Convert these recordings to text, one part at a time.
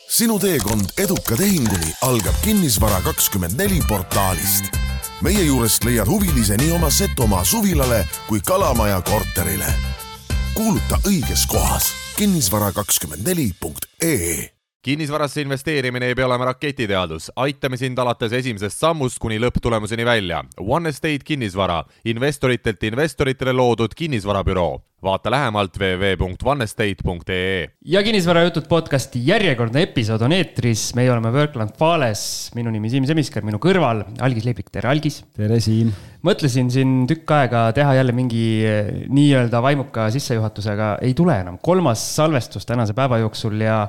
Sinu teekond eduka tehinguni algab Kinnisvara24 portaalist. Meie juurest leiad huvilise nii oma Setomaa suvilale kui Kalamaja korterile. Kuuluta õiges kohas kinnisvara24.ee. Kinnisvarasse investeerimine ei pea olema raketiteadus. Aitame sind alates esimesest sammust kuni lõpptulemuseni välja. One Estate Kinnisvara, investoritelt investoritele loodud kinnisvarabüroo. Vaata lähemalt www.onestate.ee. Ja Kinnisvara jutud podcasti järjekordne episood on eetris. Meie oleme Workland Fales. Minu nimi Siim Semiskar, minu kõrval Algis Leiblik. Tere Algis. Tere Siim. Mõtlesin siin tükk aega teha jälle mingi nii-öelda vaimuka sissejuhatusega. Ei tule enam. 3. salvestus tänase päeva jooksul ja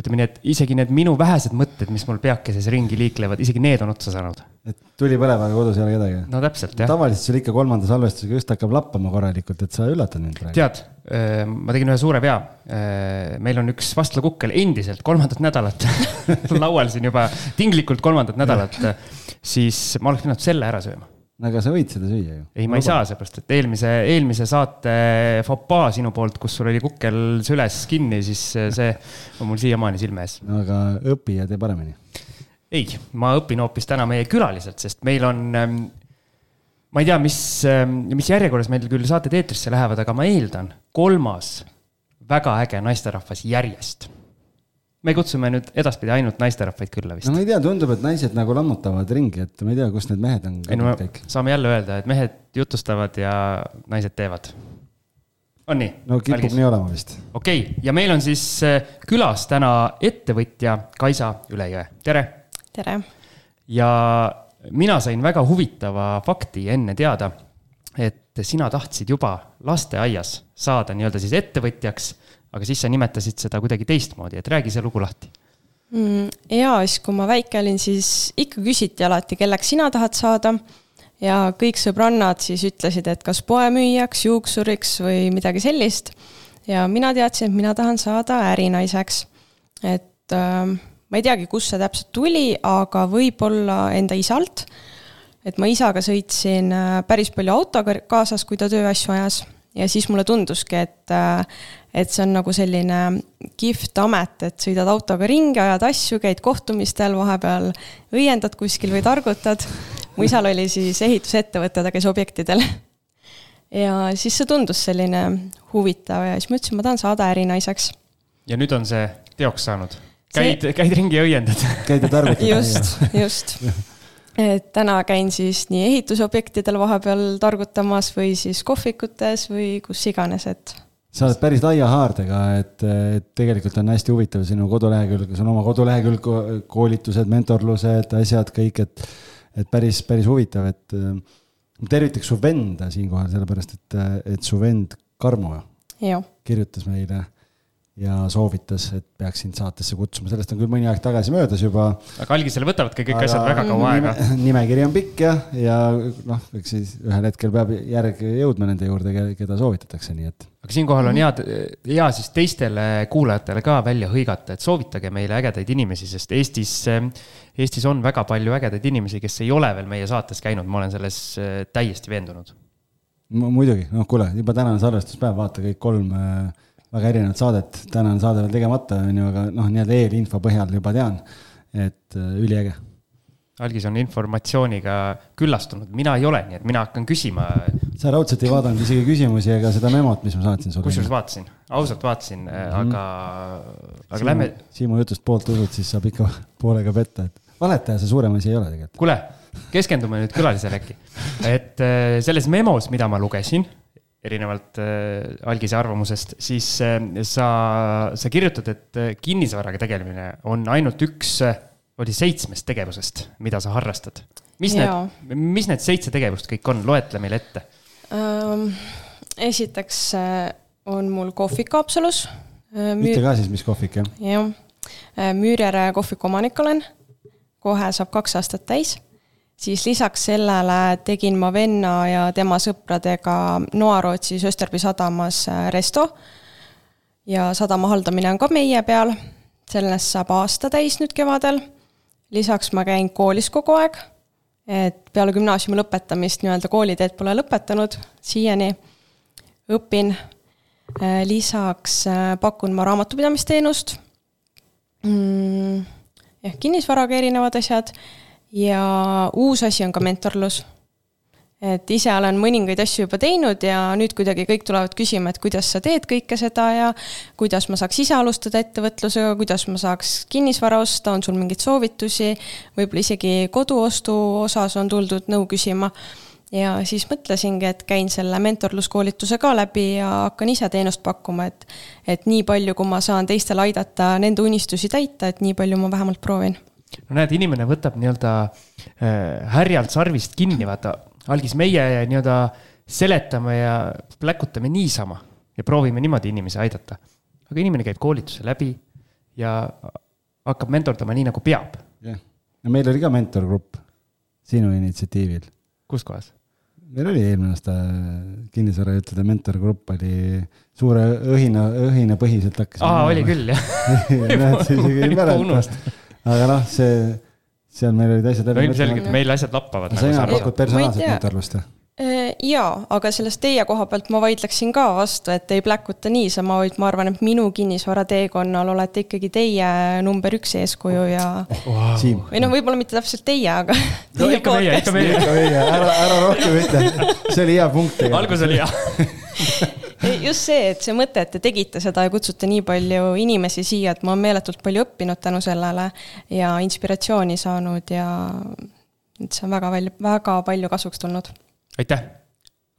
ütleme nii, et isegi need minu vähesed mõtted, mis mul peakeses ringi liiklevad, isegi need on otsa saanud. Et tuli põlevaga kodus ei ole kedagi. No täpselt, jah. Tavaliselt sul ikka 3. salvestusega just hakkab lappama korralikult, et sa üllatad mind praegu. Tead, ma tegin ühe suure vea. Meil on üks vastlakukkel endiselt 3. nädalat laual siin juba tinglikult 3. nädalat, siis ma oleks pidanud selle ära sööma. Aga sa võid seda süüa ju. Ei, ma ei saa seepärast, et eelmise saate fopaa sinu poolt, kus sul oli kukkel süles kinni, siis see on mul siiamaani silme ees. Aga õpi ja tee paremini. Ei, ma õpin hoopis täna meie külaliselt, sest meil on, ma ei tea, mis järjekorras meil küll saated eetrisse lähevad, aga ma eeldan 3. väga äge naisterahvas järjest. Me kutsume nüüd edaspidi ainult naisterahvaid külla vist. No ma ei tea, tundub, et naised nagu lammutavad ringi, et ma ei tea, kus need mehed on. Kõik. Saame jälle öelda, et mehed jutustavad ja naised teevad. On nii? No kipub nii olema vist. Okei, ja meil on siis külas täna ettevõtja Kaisa Ülejõe. Tere! Tere! Ja mina sain väga huvitava fakti enne teada, et sina tahtsid juba lasteaias saada nii-öelda siis ettevõtjaks, aga siis sa nimetasid seda kuidagi teistmoodi, et räägi see lugu lahti. Ja, siis kui ma väike olin, siis ikka küsiti alati, kelleks sina tahad saada ja kõik sõbrannad siis ütlesid, et kas poemüüjaks, juuksuriks või midagi sellist. Ja mina teadsin, et mina tahan saada ärinaiseks. Et ma ei teagi, kus see täpselt tuli, aga võib-olla enda isalt. Et ma isaga sõitsin päris palju autoga kaasas, kui ta tööasju ajas. Ja siis mulle tunduski, et see on nagu selline kihvt amet, et sõidad autoga ringi, ajad asju, käid kohtumistel, vahepeal õiendad kuskil või targutad. Mu isal oli siis ehitusettevõte, ta käis objektidel. Ja siis see tundus selline huvitav ja siis ma ütlesin, ma tahan saada ärinaiseks. Ja nüüd on see teoks saanud. Käid ringi ja õiendad. Käid ja targutad. Just. Et täna käin siis nii ehitusobjektidel vahepeal targutamas või siis kohvikutes või kus iganes, et... Sa oled päris laia haardega, et tegelikult on hästi huvitav sinu kodulehekülg, see on oma kodulehekülg, koolitused, mentorlused, asjad, kõik, et päris huvitav, et tervitaks su venda siinkohal, sellepärast, et su vend Karmo kirjutas meile ja soovitas, et peaks sind saatesse kutsuma. Sellest on küll mõni aeg tagasi möödas juba. Aga Algisele võtavadki kõik asjad väga kaua aega. Nimekiri on pikk ja eks siis ühel hetkel peab järg jõudma nende juurde, keda soovitatakse. Nii et. Aga siinkohal on hea siis teistele kuulajatele ka välja hõigata, et soovitage meile ägedaid inimesi, sest Eestis on väga palju ägedaid inimesi, kes ei ole veel meie saates käinud. Ma olen selles täiesti veendunud. Muidugi, kuule, juba tänane salvestuspäev, vaata kõik 3 väga erinevat saadet. Täna on saade veel tegemata, aga nii-öelda eelinfo põhjal juba tean, et üliäge. Algis on informatsiooniga küllastunud. Mina ei ole, nii et mina hakkan küsima. Sa raudselt ei vaadanud isegi küsimusi ega seda memot, mis ma saatsin sulle. Kusjuures vaatasin, ausalt vaatasin, aga lähme... Siimu jutust poolt usud, siis saab ikka poolega petta. Et valetaja see suurem asi ei ole tegelikult. Kuule, keskendume nüüd külalisele äkki. Et selles memos, mida ma lugesin, erinevalt Algise arvamusest, siis sa kirjutad, et kinnisvaraga tegelemine on ainult üks 7 tegevusest, mida sa harrastad. Mis need 7 tegevust kõik on? Loetle meil ette. Esiteks on mul kohvik Haapsalus. Mitte ka siis, mis kohvik, jah? Jah. Müürjärve kohviku omanik olen. Kohe saab 2 aastat täis. Siis lisaks sellele tegin ma venna ja tema sõpradega Noarootsis Österby sadamas resto ja sadama haldamine on ka meie peal. Sellest saab aasta täis nüüd kevadel. Lisaks ma käin koolis kogu aeg, et peale gümnaasiumi lõpetamist nii-öelda kooliteed pole lõpetanud, siiani õpin. Lisaks pakun ma raamatupidamisteenust. kinnisvaraga erinevad asjad ja uus asi on ka mentorlus. Et ise olen mõningaid asju juba teinud ja nüüd kuidagi kõik tulevad küsima, et kuidas sa teed kõike seda ja kuidas ma saaks ise alustada ettevõtlusega, kuidas ma saaks kinnisvara osta, on sul mingeid soovitusi, võib-olla isegi koduostu osas on tuldud nõu küsima. Ja siis mõtlesingi, et käin selle mentorluskoolituse ka läbi ja hakkan ise teenust pakkuma, et nii palju, kui ma saan teistel aidata nende unistusi täita, et nii palju ma vähemalt proovin. No näed, inimene võtab nii-öelda härjalt sarvist kinni, vaata. Algis meie nii-öelda seletame ja pläkutame niisama ja proovime niimoodi inimesi aidata. Aga inimene käib koolituse läbi ja hakkab mentordama nii, nagu peab. Ja meil oli ka mentorgrupp sinu initsiatiivil. Kus kohas? Meil oli eelmine aasta kinnisvarajutude mentorgrupp oli suure õhina põhiselt hakkas. Oli küll, jah. Näed, see isegi ei mäleta. Aga seal meil olid asjad läbi. No ilmselgelt meil asjad lappavad. Sa ina pakud personaalset mentorlust? Jaa, aga sellest teie koha pealt ma vaidleksin ka vastu, et ei pläkuta niisama, vaid ma arvan, et minu kinnisvara teekonnal olete ikkagi teie number 1 eeskuju ja Siim. Või võib-olla mitte täpselt teie, aga no, ikka meie. Ära rohkem ütle. See oli hea punkt. Algus oli hea. Just see, et see mõte, et te tegite seda ja kutsute nii palju inimesi siia, et ma olen meeletult palju õppinud tänu sellele ja inspiratsiooni saanud ja see on väga palju kasuks tulnud. Aitäh!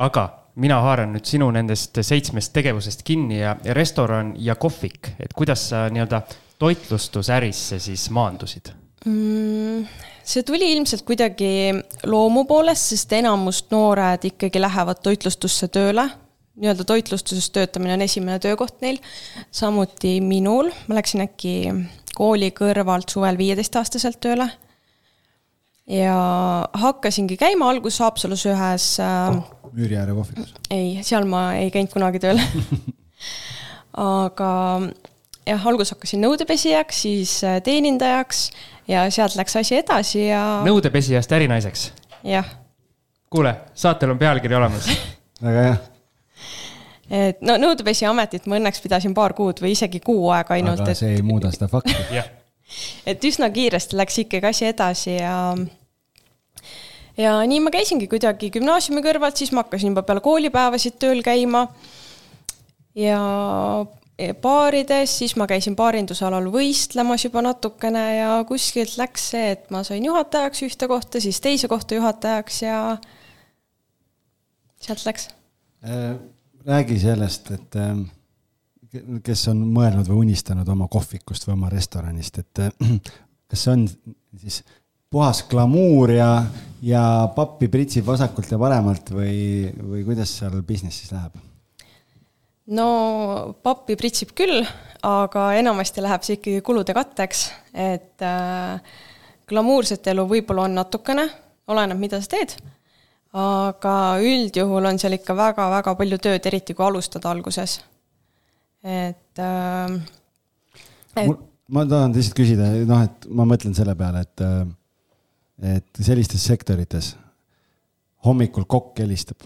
Aga mina haaran nüüd sinu nendest 7 tegevusest kinni ja restoran ja kohvik. Et kuidas sa nii-öelda toitlustusärisse siis maandusid? See tuli ilmselt kuidagi loomu poolest, sest enamust noored ikkagi lähevad toitlustusse tööle. Nii-öelda toitlustuses töötamine on esimene töökoht neil. Samuti minul. Ma läksin äkki kooli kõrvalt suvel 15-aastaselt tööle. Ja hakkasingi käima algus Haapsalus ühes... Müüriääre kohvikus? Ei, seal ma ei käinud kunagi tööle. Aga jah, algus hakkasin nõudepesijaks, siis teenindajaks ja sealt läks asi edasi ja... Nõudepesijast ärinaiseks? Jah. Kuule, saatel on pealkiri olemas. Väga hea. Et no nõudepesija ametit ma õnneks pidasin 2 kuud või isegi 6 aega ainult. Aga see ei muuda seda fakti. Et üsna kiiresti läks ikkagi asi edasi ja nii ma käisingi kuidagi gümnaasiumi kõrvalt, siis ma hakkasin juba peale koolipäevasid tööl käima ja baarides, siis ma käisin baarindusalal võistlemas juba natukene ja kuskilt läks see, et ma sain juhatajaks ühte kohta, siis teise kohta juhatajaks ja sealt läks. Räägi sellest, et kes on mõelnud või unistanud oma kohvikust või oma restoranist, et kas see on siis puhas glamuur ja pappi pritsib vasakult ja paremalt või kuidas seal businessis läheb? No pappi pritsib küll, aga enamasti läheb see ikkagi kulude katteks, et glamuurset elu võib-olla on natukene, oleneb mida sa teed. Aga üldjuhul on seal ikka väga palju tööd, eriti kui alustada alguses. Ma tahan lihtsalt küsida, et ma mõtlen selle peale, et sellistes sektorites hommikul kokk helistab.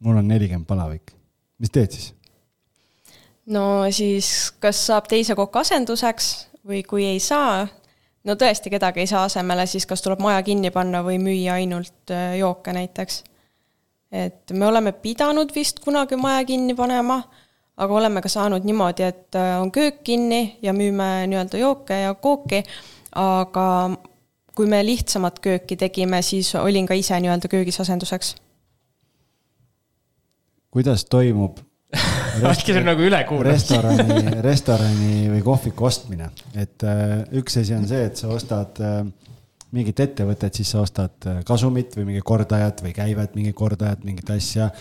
Mul on 40 palavik. Mis teed siis? No siis kas saab teise kokk asenduseks või kui ei saa... No tõesti kedagi ei saa asemele, siis kas tuleb maja kinni panna või müüa ainult jooke näiteks. Et me oleme pidanud vist kunagi maja kinni panema, aga oleme ka saanud niimoodi, et on köök kinni ja müüme nii-öelda jooke ja kooki, aga kui me lihtsamat kööki tegime, siis olin ka ise nii-öelda köögis asenduseks. Kuidas toimub nagu restorani või kohviku ostmine? Et üks asi on see, et sa ostad mingit ettevõtet, siis sa ostad kasumit või mingi kordajat või käivet, mingi kordajat, mingit asja.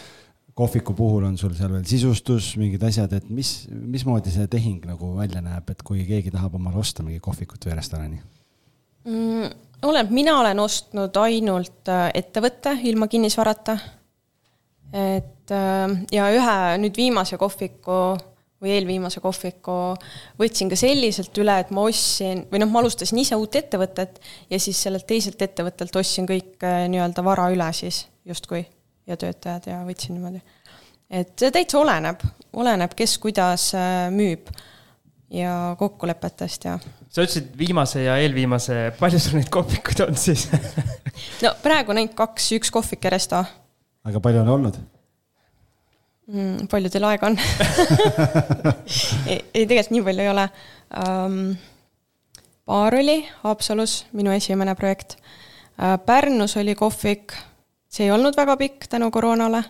Kohviku puhul on sul seal veel sisustus, mingid asjad, et mismoodi see tehing nagu välja näeb, et kui keegi tahab omale osta mingi kohvikut või restorani? Mina olen ostnud ainult ettevõtte ilma kinnisvarata. Ja ühe nüüd viimase kohviku või eelviimase kohviku võtsin ka selliselt üle, et ma ostsin, või ma alustasin ise uut ettevõtet ja siis sellelt teiselt ettevõttelt ostsin kõik nii-öelda vara üle siis justkui ja töötajad ja võtsin niimoodi. Et see täitsa oleneb, kes kuidas müüb ja kokkulepetest ja... Sa ütlesid viimase ja eelviimase, palju sul neid kohvikuid on siis? No praegu näinud 2, 1 kohvik ja resto. Aga palju on olnud? Palju teil aega on? ei, tegelikult nii palju ei ole. Baar oli Haapsalus, minu esimene projekt. Pärnus oli kohvik, see ei olnud väga pikk tänu koroonale.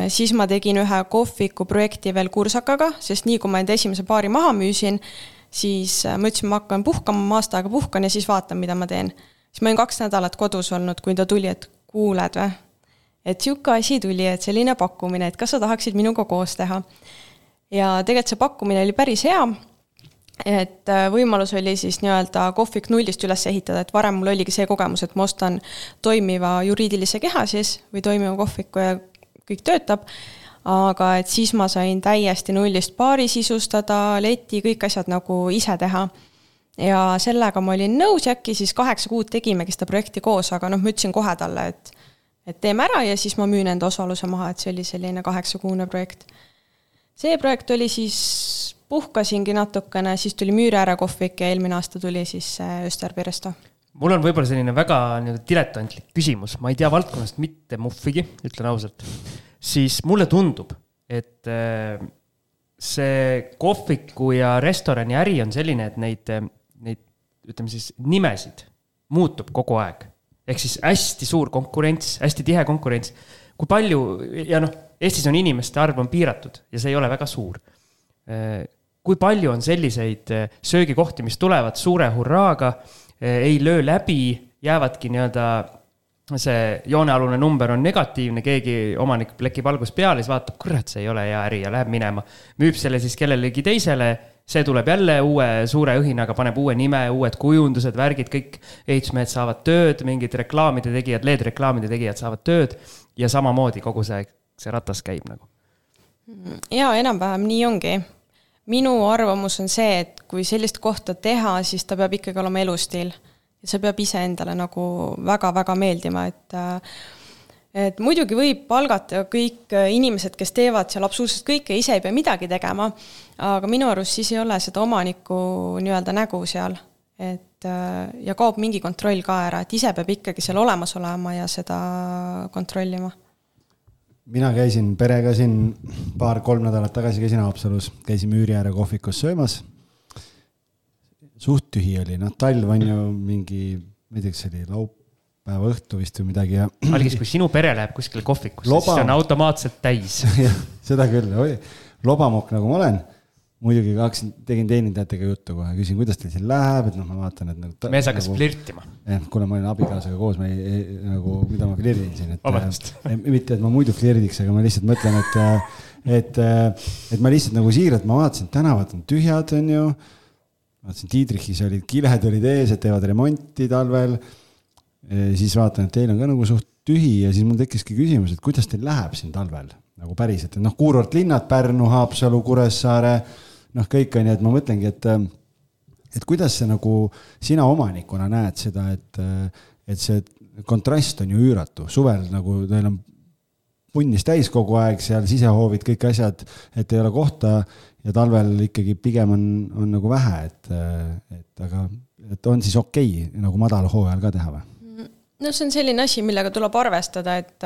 Siis ma tegin ühe kohviku projekti veel Kursakaga, sest nii kui ma enda esimese baari maha müüsin, siis ma ütlesin, ma hakkan puhkama, ma aasta aega puhkan ja siis vaatan, mida ma teen. Siis ma olin 2 nädalat kodus olnud, kui ta tuli, et kuuled või? Et siuke asi tuli, et selline pakkumine, et kas sa tahaksid minuga koos teha. Ja tegelikult see pakkumine oli päris hea, et võimalus oli siis nii-öelda kohvik nullist üles ehitada, et varem mul oligi see kogemus, et ma ostan toimiva juriidilise keha siis või toimiva kohviku ja kõik töötab, aga et siis ma sain täiesti nullist baari sisustada, leti, kõik asjad nagu ise teha. Ja sellega ma olin nõus ja äkki siis 8 kuud tegimegi seda projekti koos, aga ma ütlesin kohe talle, et teeme ära ja siis ma müün enda osaluse maha, et see oli selline 8-kuune projekt. See projekt oli siis, puhkasingi natukene, siis tuli Müüriääre kohvik ja eelmine aasta tuli siis Österby resto. Mul on võib-olla selline väga diletantlik küsimus, ma ei tea valdkonnast mitte muffigi, ütlen ausalt. Siis mulle tundub, et see kohviku ja restorani äri on selline, et neid ütleme siis nimesid muutub kogu aeg. Ehk siis hästi suur konkurents, hästi tihe konkurents. Kui palju, ja Eestis on inimeste arv on piiratud ja see ei ole väga suur. Kui palju on selliseid söögikohti, mis tulevad suure hurraaga, ei löö läbi, jäävadki see joonealune number on negatiivne, keegi omanik plekib algus peale, siis vaatab, kurat, see ei ole hea äri ja läheb minema. Müüb selle siis kellelegi teisele, see tuleb jälle uue suure õhinaga, paneb uue nime, uued kujundused, värgid, kõik ehitusmehed saavad tööd, mingid reklaamide tegijad, LED-reklaamide tegijad saavad tööd ja samamoodi kogu see ratas käib nagu. Ja enam-vähem nii ongi. Minu arvamus on see, et kui sellist kohta teha, siis ta peab ikkagi olema elustiil. Ja see peab ise endale nagu väga-väga meeldima, et muidugi võib palgata kõik inimesed, kes teevad seal absoluutselt kõike, ise ei pea midagi tegema, aga minu arust siis ei ole seda omaniku nii-öelda nägu seal, ja kaob mingi kontroll ka ära, et ise peab ikkagi seal olemas olema ja seda kontrollima. Mina käisin perega siin 2-3 nädalat tagasi käisin Haapsalus, käisin Müüriääre kohvikus söömas. Suht tühi oli, talv on ju mingi, ma ei tea, see oli laupäeva õhtu vist või midagi. Algis, kui sinu pere läheb kuskil kohvikusse, siis see on automaatselt täis. Seda küll, lobamokk nagu ma olen. Muidugi tegin teenindajatega juttu kohe, küsin, kuidas teil siin läheb, et ma vaatan, et mees hakkas flirtima. Kuna ma olin abikaasaga koos, mida ma flirtin siin. Mitte, et ma muidu flirdiks, aga ma lihtsalt mõtlen, et ma lihtsalt nagu siiralt, ma vaatasin, tänavad on tühjad, on ju. Vaatasin, Tiidrichis olid kilehed olid ees, et teevad remonti talvel. Siis vaatan, et teil on ka nagu suht tühi ja siis mul tekkiski küsimus, et kuidas teil läheb siin talvel? Nagu päriselt, et kuurortlinnad, Pärnu, Haapsalu, Kuressaare, kõik on, et ma mõtlengi, et kuidas see nagu sina omanikuna näed seda, et see kontrast on ju üüratu. Suvel nagu teil on punnis täis kogu aeg, seal sisehoovid, kõik asjad, et ei ole kohta ja talvel ikkagi pigem on nagu vähe, aga on siis okei nagu madal hooajal ka teha või? No see on selline asi, millega tuleb arvestada, et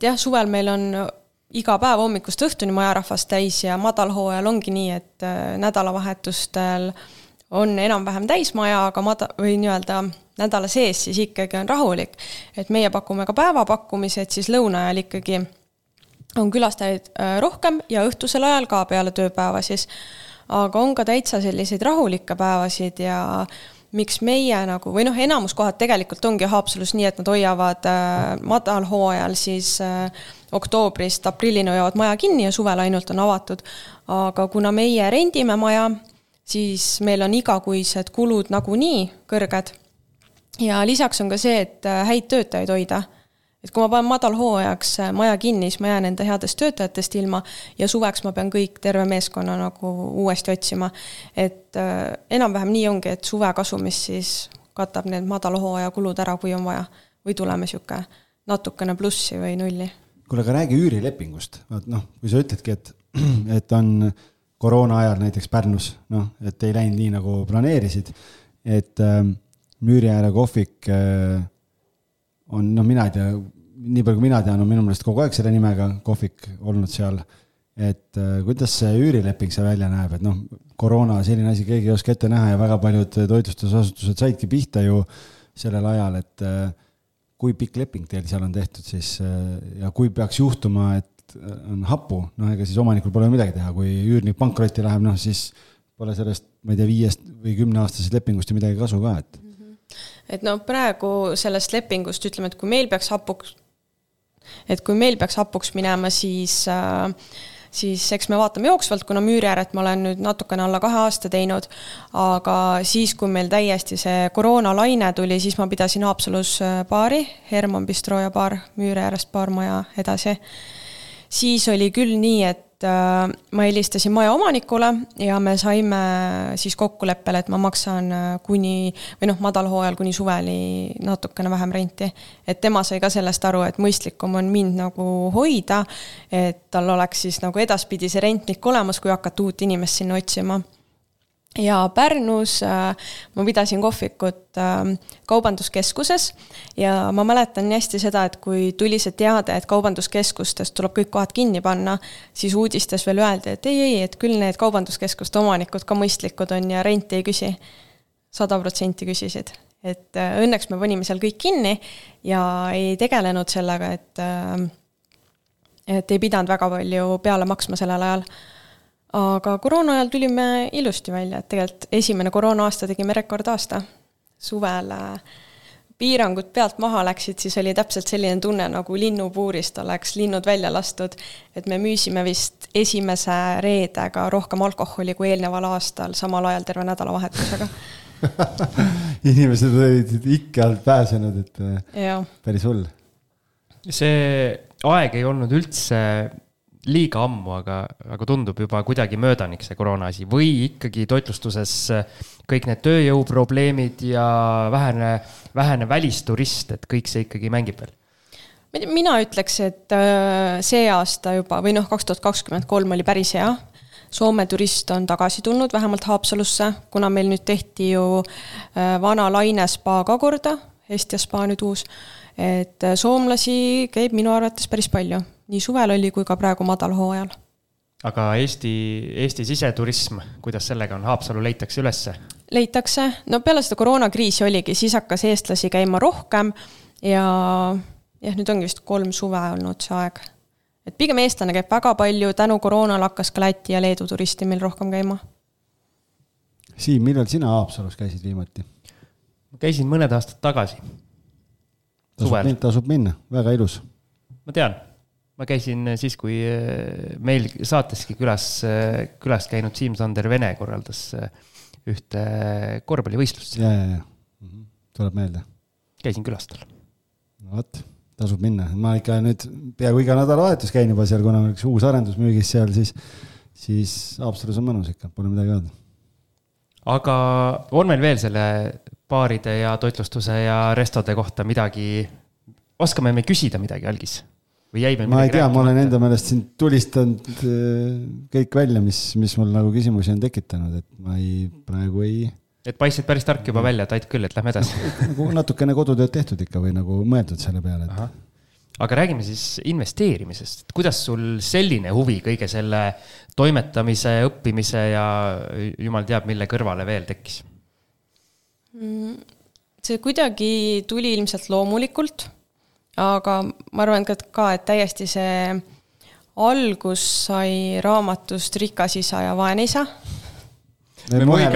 jah, suvel meil on iga päev hommikust õhtuni majarahvast täis ja madalhooajal ongi nii, et nädalavahetustel on enam-vähem täis maja, aga või nii-öelda nädala sees siis ikkagi on rahulik. Et meie pakume ka päevapakkumised, siis lõuna ajal ikkagi on külastajaid rohkem ja õhtusel ajal ka peale tööpäeva siis. Aga on ka täitsa selliseid rahulikke päevasid ja miks meie nagu, või enamus kohad tegelikult ongi Haapsalus nii, et nad hoiavad madalhooajal siis oktoobrist aprillini hoiavad maja kinni ja suvel ainult on avatud. Aga kuna meie rendime maja, siis meil on igakuised kulud nagu nii kõrged. Ja lisaks on ka see, et häid töötajaid hoida. Et kui ma panen madalhooajaks maja kinni, siis ma jään enda headest töötajatest ilma ja suveks ma pean kõik terve meeskonna nagu uuesti otsima. Et enam-vähem nii ongi, et suve kasumis siis katab need madalhooaja kulud ära, kui on vaja. Või tuleme siuke natukene plussi või nulli. Kuule, aga räägi üürilepingust. Kui sa ütledki, et on koroona ajal näiteks Pärnus, noh, et ei läinud nii nagu planeerisid, et Müüri ääre kohvik on, noh, mina ei tea, nii palju kui mina tean, on minu meelest kogu aeg selle nimega kohvik olnud seal, et kuidas see üürileping see välja näeb, et noh, koroona selline asi, keegi ei oska ette näha ja väga paljud toitlustusasutused saidki pihta ju sellel ajal, et kui pikk leping teil seal on tehtud siis ja kui peaks juhtuma, et on hapu, noh, ega siis omanikul pole midagi teha, kui üürnik pankrotti läheb, noh, siis pole sellest, ma ei tea, 5 või 10 aastasest lepingust ja midagi kasu ka, et no praegu sellest lepingust ütleme, et kui meil peaks hapuks minema, siis eks me vaatame jooksvalt, kuna Müüri ääret ma olen nüüd natukene alla 2 aasta teinud, aga siis, kui meil täiesti see koroonalaine tuli, siis ma pidasin Haapsalus baari, Herman Bistro ja baar, Müüri äärest baarmaja edasi. Siis oli küll nii, et ma helistasin maja omanikule ja me saime siis kokkuleppele, et ma maksan madalhooajal kuni suveli natukene vähem renti. Et tema sai ka sellest aru, et mõistlikum on mind nagu hoida, et tal oleks siis nagu edaspidi see rentnik olemas, kui hakata uut inimest sinna otsima. Ja Pärnus ma pidasin kohvikut kaubanduskeskuses ja ma mäletan nii hästi seda, et kui tuli see teade, et kaubanduskeskustest tuleb kõik kohad kinni panna, siis uudistes veel öeldi, et ei, et küll need kaubanduskeskuste omanikud ka mõistlikud on ja renti ei küsi. 100% küsisid. Et õnneks me panime seal kõik kinni ja ei tegelenud sellega, et ei pidanud väga palju peale maksma sellel ajal. Aga koroona ajal tulime ilusti välja, et tegelikult esimene koroona aasta tegime rekordaasta. Suvel piirangud pealt maha läksid, siis oli täpselt selline tunne, nagu linnupuurist oleks linnud välja lastud, et me müüsime vist esimese reedega rohkem alkoholi kui eelneval aastal, samal ajal terve nädalavahetusega. Inimesed olid ikka alt pääsenud, et päris hull. See aeg ei olnud üldse liiga ammu, aga tundub juba kuidagi möödanik see koroona asi või ikkagi toitlustuses kõik need tööjõuprobleemid ja vähene välisturist, et kõik see ikkagi mängib veel? Mina ütleks, et see aasta juba, või 2023 oli päris hea. Soome turist on tagasi tulnud, vähemalt Haapsalusse, kuna meil nüüd tehti ju vana laine spa ka korda, Hestia spa nüüd uus, et soomlasi käib minu arvates päris palju. Nii suvel oli kui ka praegu madalhooajal. Aga Eesti siseturism, kuidas sellega on? Haapsalu leitakse ülesse? Leitakse. No peale seda koroonakriisi oligi, siis hakkas eestlasi käima rohkem ja nüüd ongi vist 3 suve olnud see aeg. Et pigem eestlane käib väga palju, tänu koroonal hakkas ka Läti ja Leedu turisti meil rohkem käima. Siim, millal sina Haapsalus käisid viimati? Ma käisin mõned aastad tagasi. Tasub minna, väga ilus. Ma tean. Ma käisin siis, kui meil saateski külas käinud Siim Sander Vene korraldas ühte korvpallivõistlust. Ja. Tuleb meelde. Käisin külastal. No võt, tasub minna. Ma ikka nüüd peaaegu iga nädalavahetus käin juba seal, kuna on üks uus arendusmüügis seal, siis Haapsalus on mõnus ikka, pole midagi öelda. Aga on meil veel selle baaride ja toitlustuse ja restode kohta midagi, oskame me küsida midagi algis? Ma ei tea, ma olen enda meelest siin tulistanud kõik välja, mis mul nagu küsimusi on tekitanud, et ma praegu ei... Et paistsid päris tark juba välja, et ait küll, et lähme edasi. Natukene kodutööd tehtud ikka või nagu mõeldud selle peale. Aga räägime siis investeerimisest. Kuidas sul selline huvi kõige selle toimetamise, õppimise ja jumal teab, mille kõrvale veel tekkis? See kuidagi tuli ilmselt loomulikult. Aga ma arvan ka, et täiesti see algus sai raamatust Rikas isa ja vaene isa. Eelmine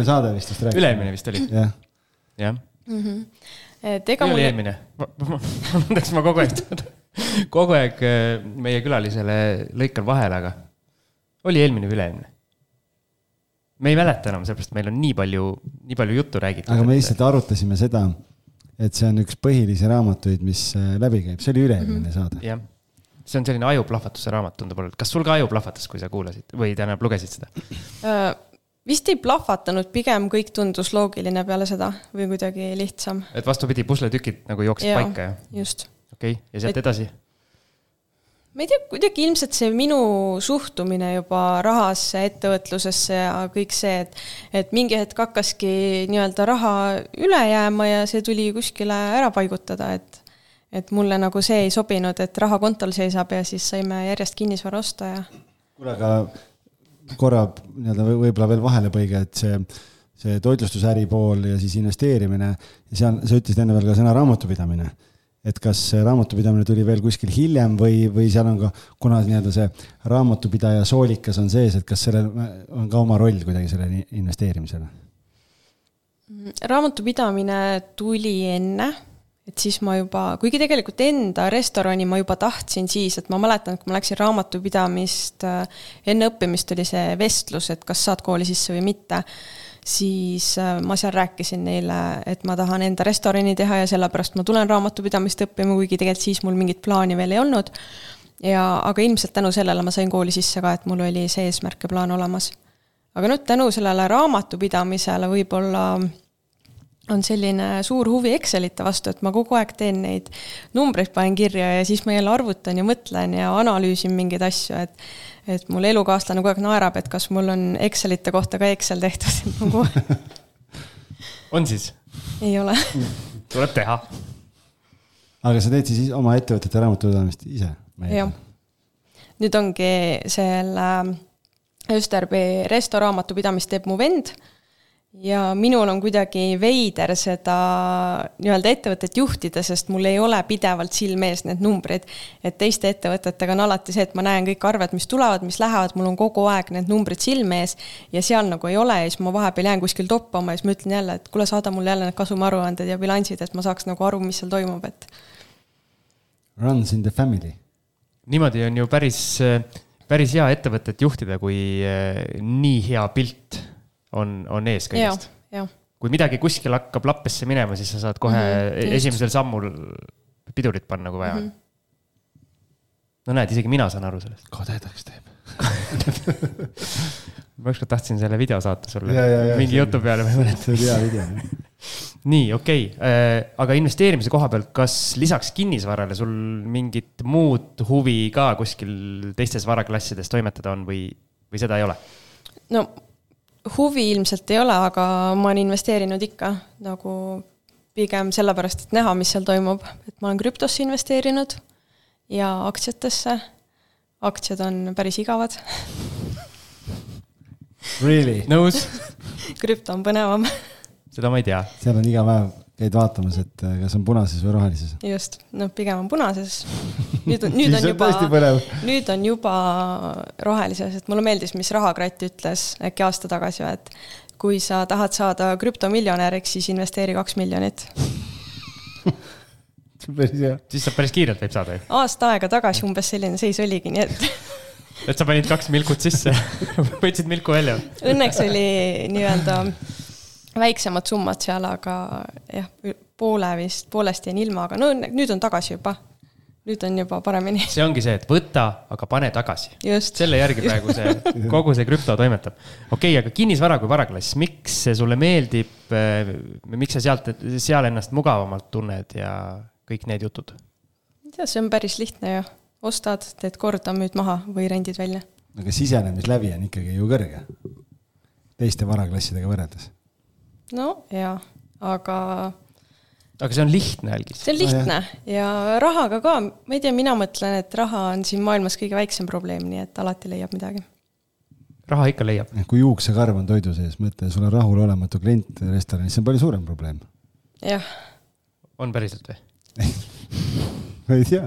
saade vist rääkis. Üle-eelmine vist oli. Jah. Oli eelmine. Ma kogu aeg meie külalisele lõikan vahele, aga oli eelmine või üle-eelmine? Me ei mäleta enam, sellepärast meil on nii palju juttu räägitud. Aga me lihtsalt arutasime seda, et see on üks põhilisi raamatuid, mis läbi käib. See oli üle-eelmine saade. Jah. See on selline ajuplahvatuse raamat, tundub olla. Kas sul ka ajuplahvatas, kui sa kuulasid või tähendab lugesid seda? Vist ei plahvatanud, pigem kõik tundus loogiline peale seda või kuidagi lihtsam. Et vastupidi, pusletükid nagu jooksid paika, jah? Just. Okei, ja sealt edasi? ma ei tea, kuidagi ilmselt see minu suhtumine juba rahasse, ettevõtlusesse ja kõik see, et mingi hetk hakkaski nii-öelda raha üle jääma ja see tuli kuskile ära paigutada, et mulle nagu see ei sobinud, et raha kontol seisab ja siis saime järjest kinnisvara osta ja... Kuule, aga korra võib-olla veel vahelepõige, et see toitlustusäri pool ja siis investeerimine ja seal sa ütlesid enne veel ka sõna raamatupidamine. Et kas raamatupidamine tuli veel kuskil hiljem või seal on ka, kuna see raamatupidaja soolikas on sees, et kas sellel on ka oma roll kuidagi selle investeerimisele? Raamatupidamine tuli enne, et siis ma juba, kuigi tegelikult enda restorani ma juba tahtsin siis, et ma mäletan, kui ma läksin raamatupidamist, enne õppimist oli see vestlus, et kas saad kooli sisse või mitte, siis ma seal rääkisin neile, et ma tahan enda restorani teha ja sellepärast ma tulen raamatupidamist õppima, kuigi tegelikult siis mul mingit plaani veel ei olnud. Aga ilmselt tänu sellele ma sain kooli sisse ka, et mul oli see eesmärk ja plaan olemas. Aga nüüd tänu sellele raamatupidamisele võib-olla on selline suur huvi Excelite vastu, et ma kogu aeg teen neid numbreid, panen kirja ja siis ma jälle arvutan ja mõtlen ja analüüsin mingeid asju, et mul elukaaslane kogu aeg naerab, et kas mul on Excelite kohta ka Excel tehtud. On siis? Ei ole. Tuleb teha. Aga sa teed siis oma ettevõtete raamatupidamist ise? Jah. Nüüd ongi selle Österby resto raamatupidamist teeb mu vend ja minul on kuidagi veider seda nii-öelda ettevõtet juhtida, sest mul ei ole pidevalt silmees need numbrid, et teiste ettevõtetega on alati see, et ma näen kõik arved, mis tulevad, mis lähevad, mul on kogu aeg need numbrid silmees ja seal nagu ei ole ja siis ma vahepeal jään kuskil toppama ja siis ma ütlen jälle, et kuule, saada mulle jälle need kasumiaruanded ja bilansid, et ma saaks nagu aru, mis seal toimub, et runs in the family. Niimoodi on ju päris hea ettevõtet juhtida, kui nii hea pilt on ees kõigest. Kui midagi kuskil hakkab lappesse minema, siis sa saad kohe esimesel sammul pidurit panna, kui vaja. No näed, isegi mina saan aru sellest. Kadedaks teeb. Ma ükskord tahtsin selle video saata sulle. Mingi jutu peale. See oli hea video. Nii, okei. Aga investeerimise koha pealt, kas lisaks kinnisvarale sul mingit muud huvi ka kuskil teistes varaklassides toimetada on või seda ei ole? No huvi ilmselt ei ole, aga ma olen investeerinud ikka nagu pigem sellepärast, et näha, mis seal toimub. Et ma olen krüptosse investeerinud ja aktsiatesse. Aktsiad on päris igavad. Really? Nõus? Krüpto on põnevam. Seda ma ei tea. Seal on iga päev käid vaatamas, et kas on punases või rohelises. Just, pigem on punases. Nüüd on juba rohelises, et mulle meeldis, mis Rahakratt ütles äkki aasta tagasi, et kui sa tahad saada krüptomiljonäriks, siis investeeri 2 miljonit. Siis sa päris kiirelt võib saada. Aasta aega tagasi umbes selline seis oligi, nii et... Et sa panid 2 milkut sisse, võtsid milku välja. Õnneks oli nii-öelda väiksemad summad seal, aga jah, poolest jäin ilma, aga no nüüd on tagasi juba. Nüüd on juba paremini. See ongi see, et võta, aga pane tagasi. Just. Selle järgi praegu kogu see krüpto toimetab. Okei, aga kinnisvara kui varaklass, miks see sulle meeldib, miks sa seal ennast mugavamalt tunned ja kõik need jutud? Ja, see on päris lihtne ju. Ostad, teed korda, müüd maha või rendid välja. Aga sisenemisläbi on ikkagi ju kõrge. Teiste varaklassidega võrreldes. No jaa, aga see on lihtne, Algis. See on lihtne ja rahaga ka, ma ei tea, mina mõtlen, et raha on siin maailmas kõige väiksem probleem, nii et alati leiab midagi. Raha ikka leiab. Kui juuksekarv on toidu sees, mõtle, sul on rahul olematu klient restoranis, see on palju suurem probleem. Jah. On päriselt või? Ma ei tea,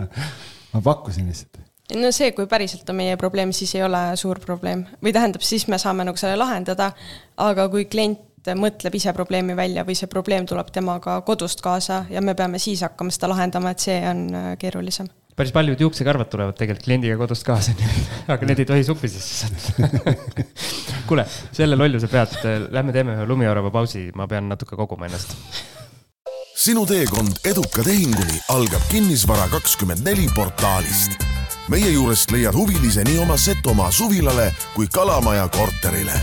ma pakkusin lihtsalt. No see, kui päriselt on meie probleem, siis ei ole suur probleem. Või tähendab, siis me saame nagu selle lahendada, aga kui klient mõtleb ise probleemi välja või see probleem tuleb temaga kodust kaasa ja me peame siis hakkama seda lahendama, et see on keerulisem. Päris paljud juuksekarvad tulevad tegelikult kliendiga kodust kaasa, aga need ei tohi suppi sisse saada. Kuule, selle lolluse pealt lähme teeme ühe lumiorava pausi, ma pean natuke koguma ennast. Sinu teekond eduka tehinguni algab Kinnisvara24 portaalist. Meie juurest leiad huvilise nii oma Setomaa suvilale kui Kalamaja korterile.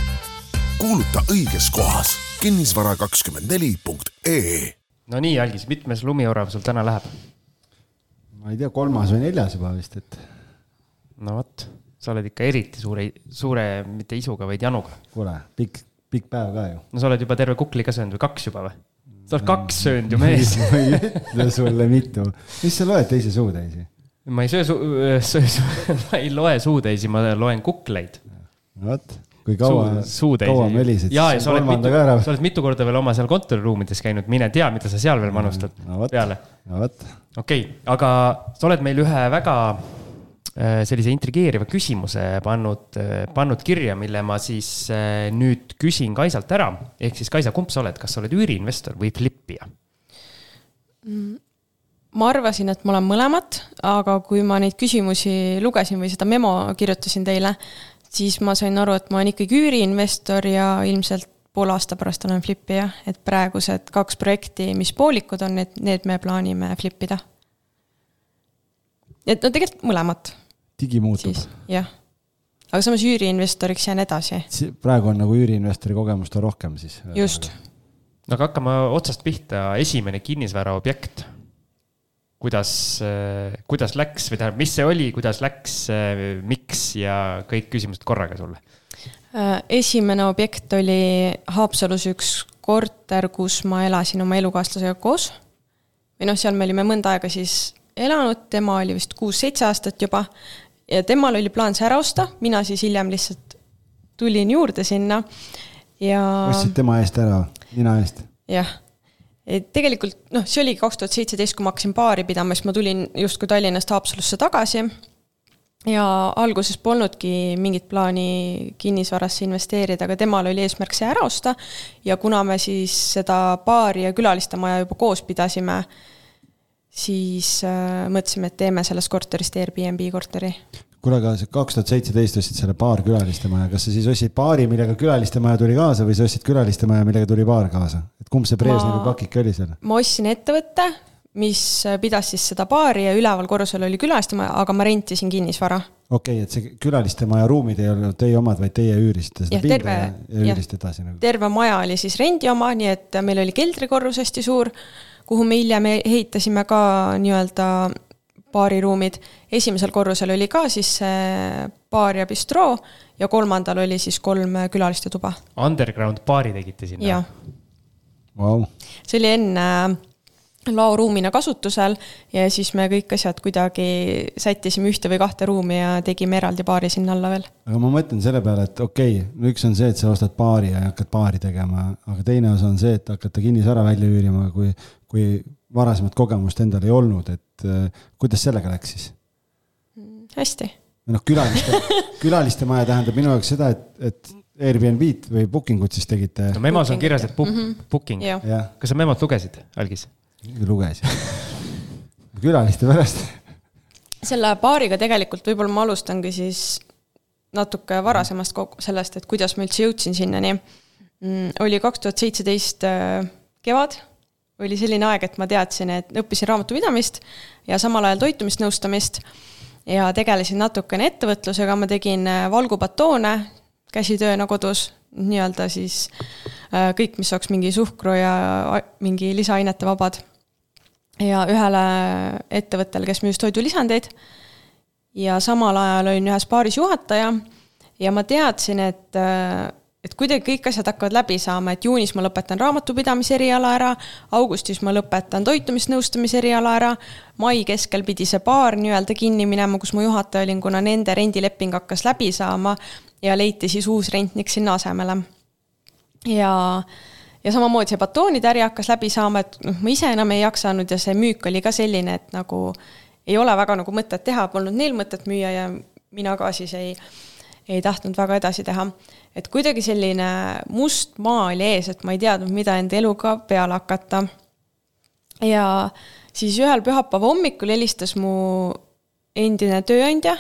Kuuluta õiges kohas kinnisvara24.ee. No nii, Algis, mitmes lumiorav sul täna läheb? Ma ei tea, 3. või 4. juba vist, et No võt, sa oled ikka eriti suure mitte isuga, vaid januga. Kuule, pikk päev ka ju. No sa oled juba terve kukli ka söönud või 2 juba või? Sa oled 2 söönud ju mees. Ma ei ütle sulle mitu. Mis sa loed teise suutäisi? Ma ei ma ei loe suutäisi, ma loen kukleid. Võt, kui kaua melisid. Jaa, sa oled mitu korda veel oma seal kontoriruumides käinud, mine tea, mida sa seal veel manustad peale. Okei, aga sa oled meil ühe väga sellise intrigeeriva küsimuse pannud kirja, mille ma siis nüüd küsin Kaisalt ära. Ehk siis Kaisa, kumb sa oled? Kas sa oled üüriinvestor või flippija? Ma arvasin, et ma olen mõlemat, aga kui ma neid küsimusi lugesin või seda memo kirjutasin teile, siis ma sain aru, et ma olen ikkagi üüriinvestor ja ilmselt pool aasta pärast olen flippija, et praegused 2 projekti, mis poolikud on, need me plaanime flippida. Et no tegelikult mõlemat. Digi muutub. Jah. Aga samas üüriinvestoriks jään edasi. Praegu on nagu üüriinvestori kogemust on rohkem siis. Just. Aga hakkame otsast pihta. Esimene kinnisvara objekt. Kuidas läks või tähendab, mis see oli, kuidas läks, miks ja kõik küsimused korraga sulle? Esimene objekt oli Haapsalus üks korter, kus ma elasin oma elukaaslasega koos. Või seal me olime mõnda aega siis elanud, tema oli vist 6-7 aastat juba ja temal oli plaan see ära osta, mina siis hiljem lihtsalt tulin juurde sinna ja... Ostsid tema eest ära, nina eest? Jah. Et tegelikult, see oli 2017, kui ma hakkasin baari pidama, siis ma tulin justkui Tallinnast Haapsalusse tagasi ja alguses polnudki mingit plaani kinnisvarasse investeerida, aga temal oli eesmärk see ära osta ja kuna me siis seda baari ja külaliste maja juba koos pidasime, siis mõtlesime, et teeme sellest korterist Airbnb korteri. Kuule, aga 2017 ostsid selle baar külaliste maja. Kas sa siis ostsid baari, millega külaliste maja tuli kaasa või sa ostsid külaliste maja, millega tuli baar kaasa? Et kumb see Brežnevi pakik oli seal? Ma ostsin ettevõtte, mis pidas siis seda baari ja üleval korrusel oli külaliste maja, aga ma rentisin kinnisvara. Okei, et see külaliste maja ruumid ei olnud teie omad, vaid teie üürisite seda pinda ja üüriste edasi. Terve maja oli siis rendi oma, nii et meil oli keldrikorrus hästi suur, kuhu me hiljem ehitasime ka nii-öelda baariruumid. Esimesel korrusel oli ka siis baar ja bistroo ja 3. oli siis 3 külaliste tuba. Underground baari tegite sinna? Jah. Wow. See oli enne laoruumina kasutusel ja siis me kõik asjad kuidagi sättisime 1 või 2 ruumi ja tegime eraldi baari sinna alla veel. Aga ma mõtlen selle peale, et okei, üks on see, et sa ostad baari ja hakkad baari tegema, aga teine osa on see, et hakata kinnisvara välja üürima, kui varasemat kogemust endal ei olnud, et kuidas sellega läks siis? Hästi. Külaliste maja tähendab minu jaoks seda, et Airbnb või bookingut siis tegite. No memos on kirjas, et booking. Ja. Kas sa memot lugesid, Algis? Lugesin. Külaliste pärast. Selle baariga tegelikult võib-olla ma alustangi siis natuke varasemast sellest, et kuidas ma üldse jõudsin sinnani. Oli 2017 kevad. Oli selline aeg, et ma teadsin, et õppisin raamatupidamist ja samal ajal toitumisnõustamist ja tegelesin natukene ettevõtlusega. Ma tegin valgubatoone käsitööna kodus, nii-öelda siis kõik, mis oleks mingi suhkru ja mingi lisaainete vabad. Ja ühele ettevõttel, kes müüs toidulisandeid ja samal ajal olin ühes baaris juhataja ja ma teadsin, et kuidagi kõik asjad hakkavad läbi saama, et juunis ma lõpetan raamatupidamise eriala ära, augustis ma lõpetan toitumisnõustamise eriala ära, mai keskel pidi see baar nii-öelda kinni minema, kus ma juhataja olin, kuna nende rendileping hakkas läbi saama ja leiti siis uus rentnik sinna asemele. Ja samamoodi see batoonide äri hakkas läbi saama, et ma ise enam ei jaksanud ja see müük oli ka selline, et nagu ei ole väga nagu mõtet teha, polnud neil mõtet müüa ja mina ka siis ei tahtnud väga edasi teha. Et kuidagi selline must maa oli ees, et ma ei teadnud, mida enda eluga peale hakata. Ja siis ühel pühapäeva hommikul helistas mu endine tööandja,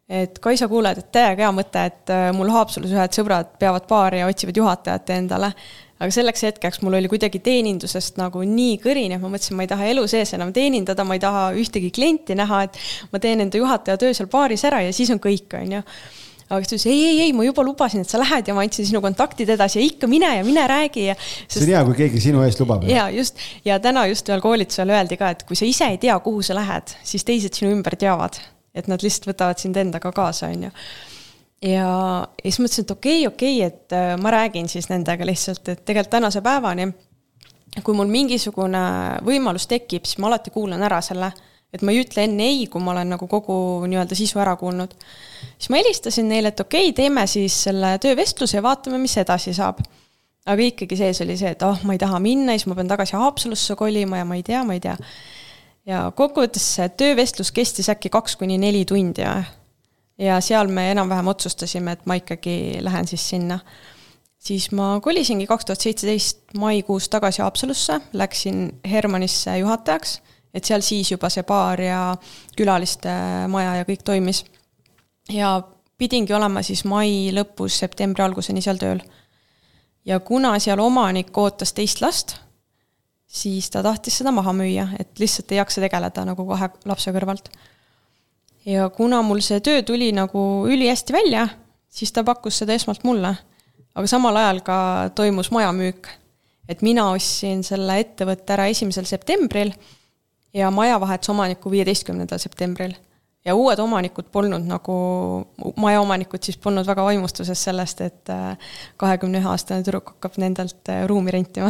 et Kaisa kuuled, et täiega hea mõte, et mul Haapsalus ühed sõbrad peavad baari ja otsivad juhatajat endale. Aga selleks hetkeks mul oli kuidagi teenindusest nagu nii kõrin, et ma mõtlesin, ma ei taha elu sees enam teenindada, ma ei taha ühtegi klienti näha, et ma teen enda juhataja töö seal baaris ära ja siis on kõik, on ju. Aga ta ütles, ei, ma juba lubasin, et sa lähed ja ma andsin sinu kontaktid edasi ja ikka mine räägi. See on hea, kui keegi sinu eest lubab. Ja just, ja täna just ühel koolitusel öeldi ka, et kui sa ise ei tea, kuhu sa lähed, siis teised sinu ümber teavad. et nad lihtsalt võtavad sind endaga kaasa, on ju. Ja siis mõtlesin, et okei, et ma räägin siis nendega lihtsalt, et tegelikult tänase päevani, kui mul mingisugune võimalus tekib, siis ma alati kuulan ära selle, et ma ei ütle enne ei, kui ma olen nagu kogu nii-öelda sisu ära kuulnud. Siis ma helistasin neile, et okei, teeme siis selle töövestluse ja vaatame, mis edasi saab. Aga ikkagi sees oli see, et ma ei taha minna, siis ma pean tagasi Haapsalusse kolima ja ma ei tea. Ja kokkuvõttes see töövestlus kestis äkki 2-4 tundi ja seal me enam-vähem otsustasime, et ma ikkagi lähen siis sinna. Siis ma kolisingi 2017 maikuus tagasi Haapsalusse, läksin Hermannisse juhatajaks, et seal siis juba see baar ja külaliste maja ja kõik toimis. Ja pidingi olema siis mai lõpus, septembri alguseni seal tööl. Ja kuna seal omanik ootas teist last, siis ta tahtis seda maha müüa, et lihtsalt ei jaksa tegeleda nagu 2 lapse kõrvalt. Ja kuna mul see töö tuli nagu üli hästi välja, siis ta pakkus seda esmalt mulle. Aga samal ajal ka toimus majamüük, et mina ostsin selle ettevõtte ära 1. septembril ja maja vahetus omaniku 15. septembril. Ja uued omanikud polnud nagu, maja omanikud siis polnud väga vaimustuses sellest, et 21-aastane tüdruk hakkab nendelt ruumi rentima.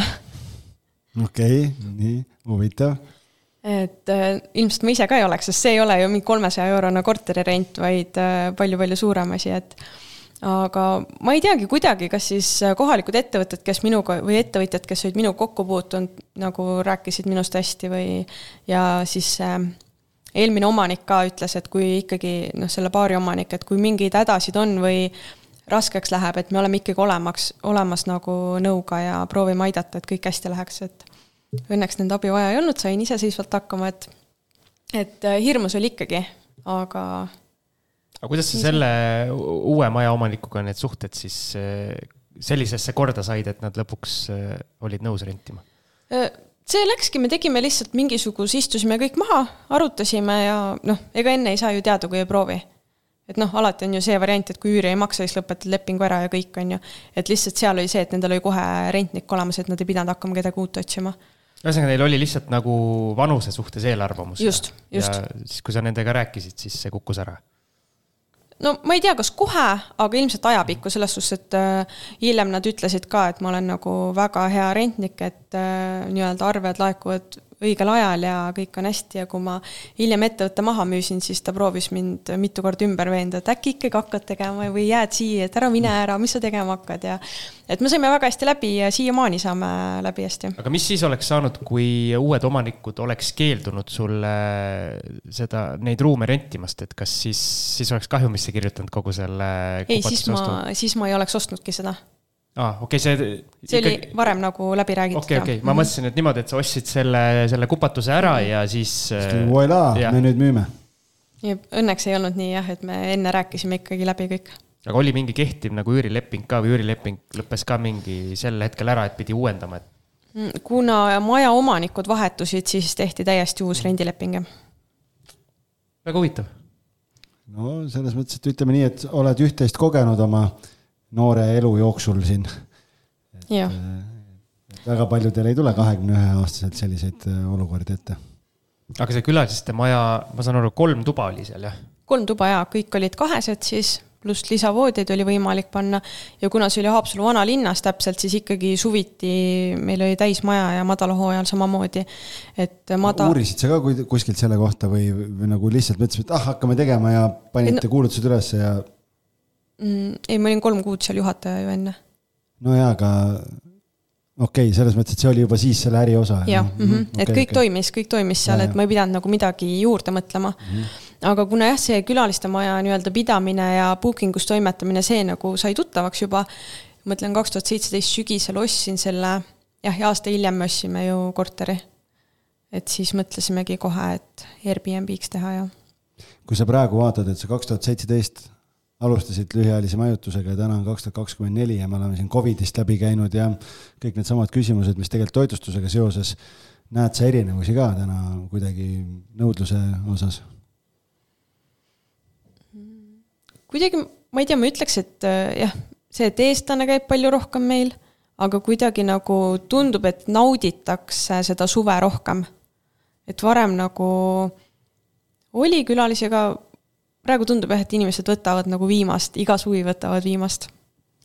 Okei, nii, huvitav. Et ilmselt ma ise ka ei oleks, sest see ei ole ju mingi 300 € korterirent, vaid palju-palju suurem asi, et aga ma ei teagi kuidagi, kas siis kohalikud ettevõtted, kes minuga, või ettevõtjad, kes olid minu kokku puutunud, nagu rääkisid minust hästi või ja siis eelmine omanik ka ütles, et kui ikkagi selle baari omanik, et kui mingid hädasid on või raskeks läheb, et me oleme ikkagi olemas nagu nõuga ja proovime aidata, et kõik hästi läheks, et õnneks nende abi vaja ei olnud, sain iseseisvalt hakkama, et hirmus oli ikkagi, aga kuidas sa selle uue maja omanikuga need suhted siis sellisesse korda said, et nad lõpuks olid nõus rentima? See läkski, me tegime lihtsalt mingisuguse, istusime kõik maha, arutasime ja ega enne ei saa ju teada, kui ei proovi. Et alati on ju see variant, et kui üüri ei maksa, siis lõpetad lepingu ära ja kõik on ju. Et lihtsalt seal oli see, et nendel oli kohe rentnik olemas, et nad ei pidanud hakkama kedagi uut otsima. Ühesõnaga, neil oli lihtsalt nagu vanuse suhtes eelarvamus. Just. Ja siis, kui sa nendega rääkisid, siis see kukkus ära. No ma ei tea, kas kohe, aga ilmselt ajapikku selles suhtes, et hiljem nad ütlesid ka, et ma olen nagu väga hea rentnik, et nii-öelda arved laekuvad õigel ajal ja kõik on hästi ja kui ma hiljem ettevõtte maha müüsin, siis ta proovis mind mitu korda ümber veenda, et äkki ikkagi hakkad tegema või jääd siia, et ära mine ära, mis sa tegema hakkad ja et me saime väga hästi läbi ja siiamaani saame läbi hästi. Aga mis siis oleks saanud, kui uued omanikud oleks keeldunud sulle neid ruume rentimast, et kas siis oleks kahjumisse kirjutanud kogu selle ei, siis ma ei oleks ostnudki seda. Okay, see oli varem nagu läbi räägitud. Okay. Ma mõtlesin, et niimoodi, et sa ostsid selle kupatuse ära ja siis... Voila, me nüüd müüme. Ja õnneks ei olnud nii, et me enne rääkisime ikkagi läbi kõik. Aga oli mingi kehtiv nagu üürileping ka või üürileping lõppes ka mingi sel hetkel ära, et pidi uuendama? Kuna maja omanikud vahetusid, siis tehti täiesti uus rendileping. Väga huvitav. No selles mõttes, et ütleme nii, et oled üht-teist kogenud oma noore elu jooksul siin. Väga paljudel ei tule 21-aastaselt selliseid olukordi ette. Aga see külaliste maja, ma saan aru, 3 tuba oli seal, jah? 3 tuba, jah. Kõik olid 2 siis, pluss lisavoodid oli võimalik panna. Ja kuna see oli Haapsalu vanalinnas täpselt, siis ikkagi suviti meil oli täismaja ja madalahooajal samamoodi. Uurisid sa ka kuskilt selle kohta või nagu lihtsalt mõtlesid, et hakkame tegema ja panite kuulutused üles ja... Ei, ma olin 3 kuud seal juhataja ju enne. No jaa, aga okei, selles mõttes, et see oli juba siis selle äri osa. Jah, et kõik toimis seal, et ma ei pidanud nagu midagi juurde mõtlema. Aga kuna see külaliste maja nii-öelda pidamine ja bookingus toimetamine, see nagu sai tuttavaks juba, mõtlen 2017 sügisel ostsin selle, ja aasta hiljem me ossime ju korteri. Et siis mõtlesimegi kohe, et Airbnb-ks teha ja. Kui sa praegu vaatad, et see 2017 alustasid lühiajalise majutusega ja täna on 2024 ja me oleme siin COVIDist läbi käinud ja kõik need samad küsimused, mis tegelikult toitlustusega seoses, näed sa erinevusi ka täna kuidagi nõudluse osas? Kuidagi, ma ei tea, ma ütleks, et see, et eestlane käib palju rohkem meil, aga kuidagi nagu tundub, et nauditakse seda suve rohkem. Et varem nagu oli külalisega praegu tundub jah, et inimesed võtavad nagu viimast, iga suvi võtavad viimast.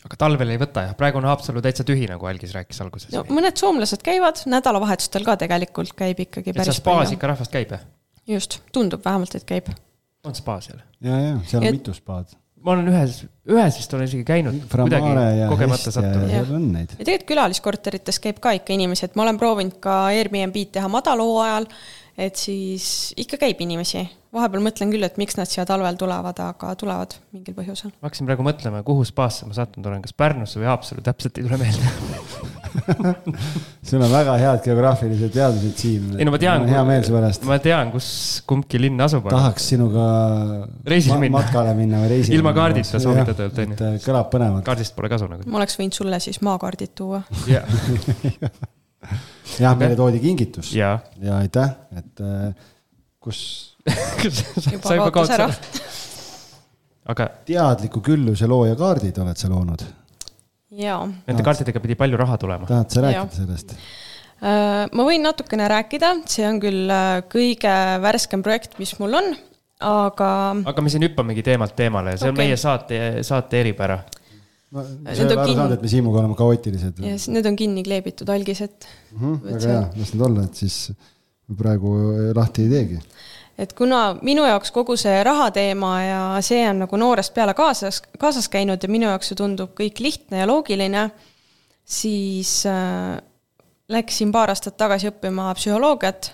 Aga talvel ei võta jah, praegu on Haapsalu täitsa tühi, nagu Algis rääkis alguses. No, mõned soomlased käivad, nädalavahetustel ka tegelikult käib ikkagi päris palju. Spaas ikka rahvast käib, jah? Just, tundub vähemalt, et käib. On spa seal? Ja, seal on mitu spaad. Ma olen ühes vist olen isegi käinud, kuidagi kogemata sattunud. Ja tegelikult külaliskorterites käib ka ikka inimesi, et ma olen proovinud ka Airbnb-d teha madaloo ajal, et siis ikka käib inimesi. Vahepeal mõtlen küll, et miks nad siia talvel tulevad, aga tulevad mingil põhjusel. Ma hakkasin praegu mõtlema, kuhu spaasse ma sattunud olen, kas Pärnusse või Haapsalu, täpselt ei tule meelde. Sul on väga head geograafilised teadmised, Siim. Ei, no ma tean, kus kumbki linn asub. Tahaks sinuga matkale minna või reisile. Ilma kaardita soovitada. Kõlab põnevad. Kaardist pole kasu. Ma oleks võinud sulle siis maakaardid tuua. Jah, meile toodi kingitus. Ja aitäh, et kus... Juba kaotas ära. Aga teadliku külluse looja kaardid oled sa loonud? Jaa. Nende kaartidega pidi palju raha tulema. Tahad sa rääkida sellest? Ma võin natukene rääkida, see on küll kõige värskem projekt, mis mul on, aga me siin hüppamegi teemalt teemale, see on meie saate eripära. See on aru saanud, et me Siimuga oleme kaootilised. Need on kinni kleebitud algised. Väga hea, las need olla, et siis praegu lahti ei teegi. Et kuna minu jaoks kogu see rahateema ja see on nagu noorest peale kaasas käinud ja minu jaoks see tundub kõik lihtne ja loogiline, siis läksin paar aastat tagasi õppima psühholoogiat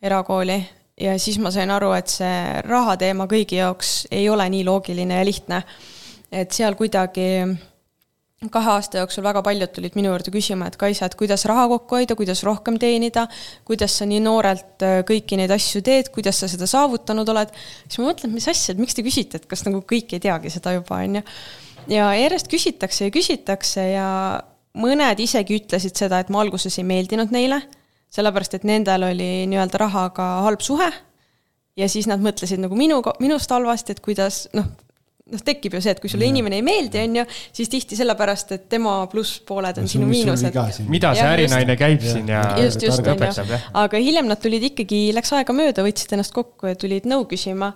erakooli ja siis ma sain aru, et see rahateema kõigi jaoks ei ole nii loogiline ja lihtne. Et seal kuidagi 2 aasta jooksul väga paljud tulid minu juurde küsima, et Kaisa, et kuidas raha kokku hoida, kuidas rohkem teenida, kuidas sa nii noorelt kõiki neid asju teed, kuidas sa seda saavutanud oled. Siis ma mõtlen, mis asjad, miks te küsite, et kas nagu kõik ei teagi seda juba on. Ja järjest küsitakse ja mõned isegi ütlesid seda, et ma alguses ei meeldinud neile, sellepärast, et nendel oli nii-öelda rahaga halb suhe ja siis nad mõtlesid nagu minust halvasti, et kuidas, tekib ju see, et kui sulle inimene ei meeldi, siis tihti sellepärast, et tema pluss pooled on sinu miinused. Mida see ärinaine käib siin ja õpetab. Aga hiljem nad tulid ikkagi, läks aega mööda, võtsid ennast kokku ja tulid nõu küsima.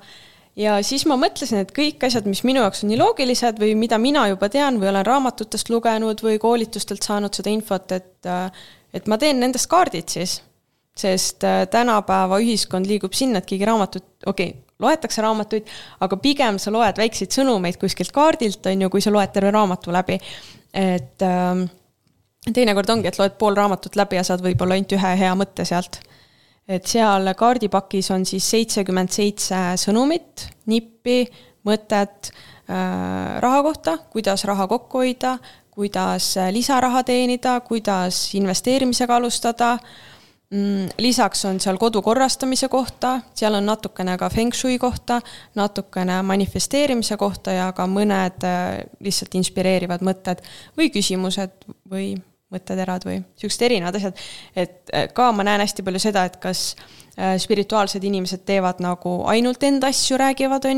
Ja siis ma mõtlesin, et kõik asjad, mis minu jaoks on nii loogilised või mida mina juba tean või olen raamatutest lugenud või koolitustelt saanud seda infot, et ma teen nendest kaardid siis. Sest tänapäeva ühiskond liigub sinna, et keegi raamatut, loetakse raamatuid, aga pigem sa loed väikseid sõnumeid kuskilt kaardilt, kui sa loed terve raamatu läbi. Et teinekord ongi, et loed pool raamatut läbi ja saad võib-olla ainult ühe hea mõtte sealt. Et seal kaardipakis on siis 77 sõnumit, nippi, mõtet raha kohta, kuidas raha kokku hoida, kuidas lisaraha teenida, kuidas investeerimisega alustada. Lisaks on seal kodu korrastamise kohta, seal on natukene ka feng shui kohta, natukene manifesteerimise kohta ja ka mõned lihtsalt inspireerivad mõtted või küsimused või mõtteterad või sellised erinevad asjad. Et ka ma näen hästi palju seda, et kas spirituaalsed inimesed teevad nagu ainult enda asju räägivad,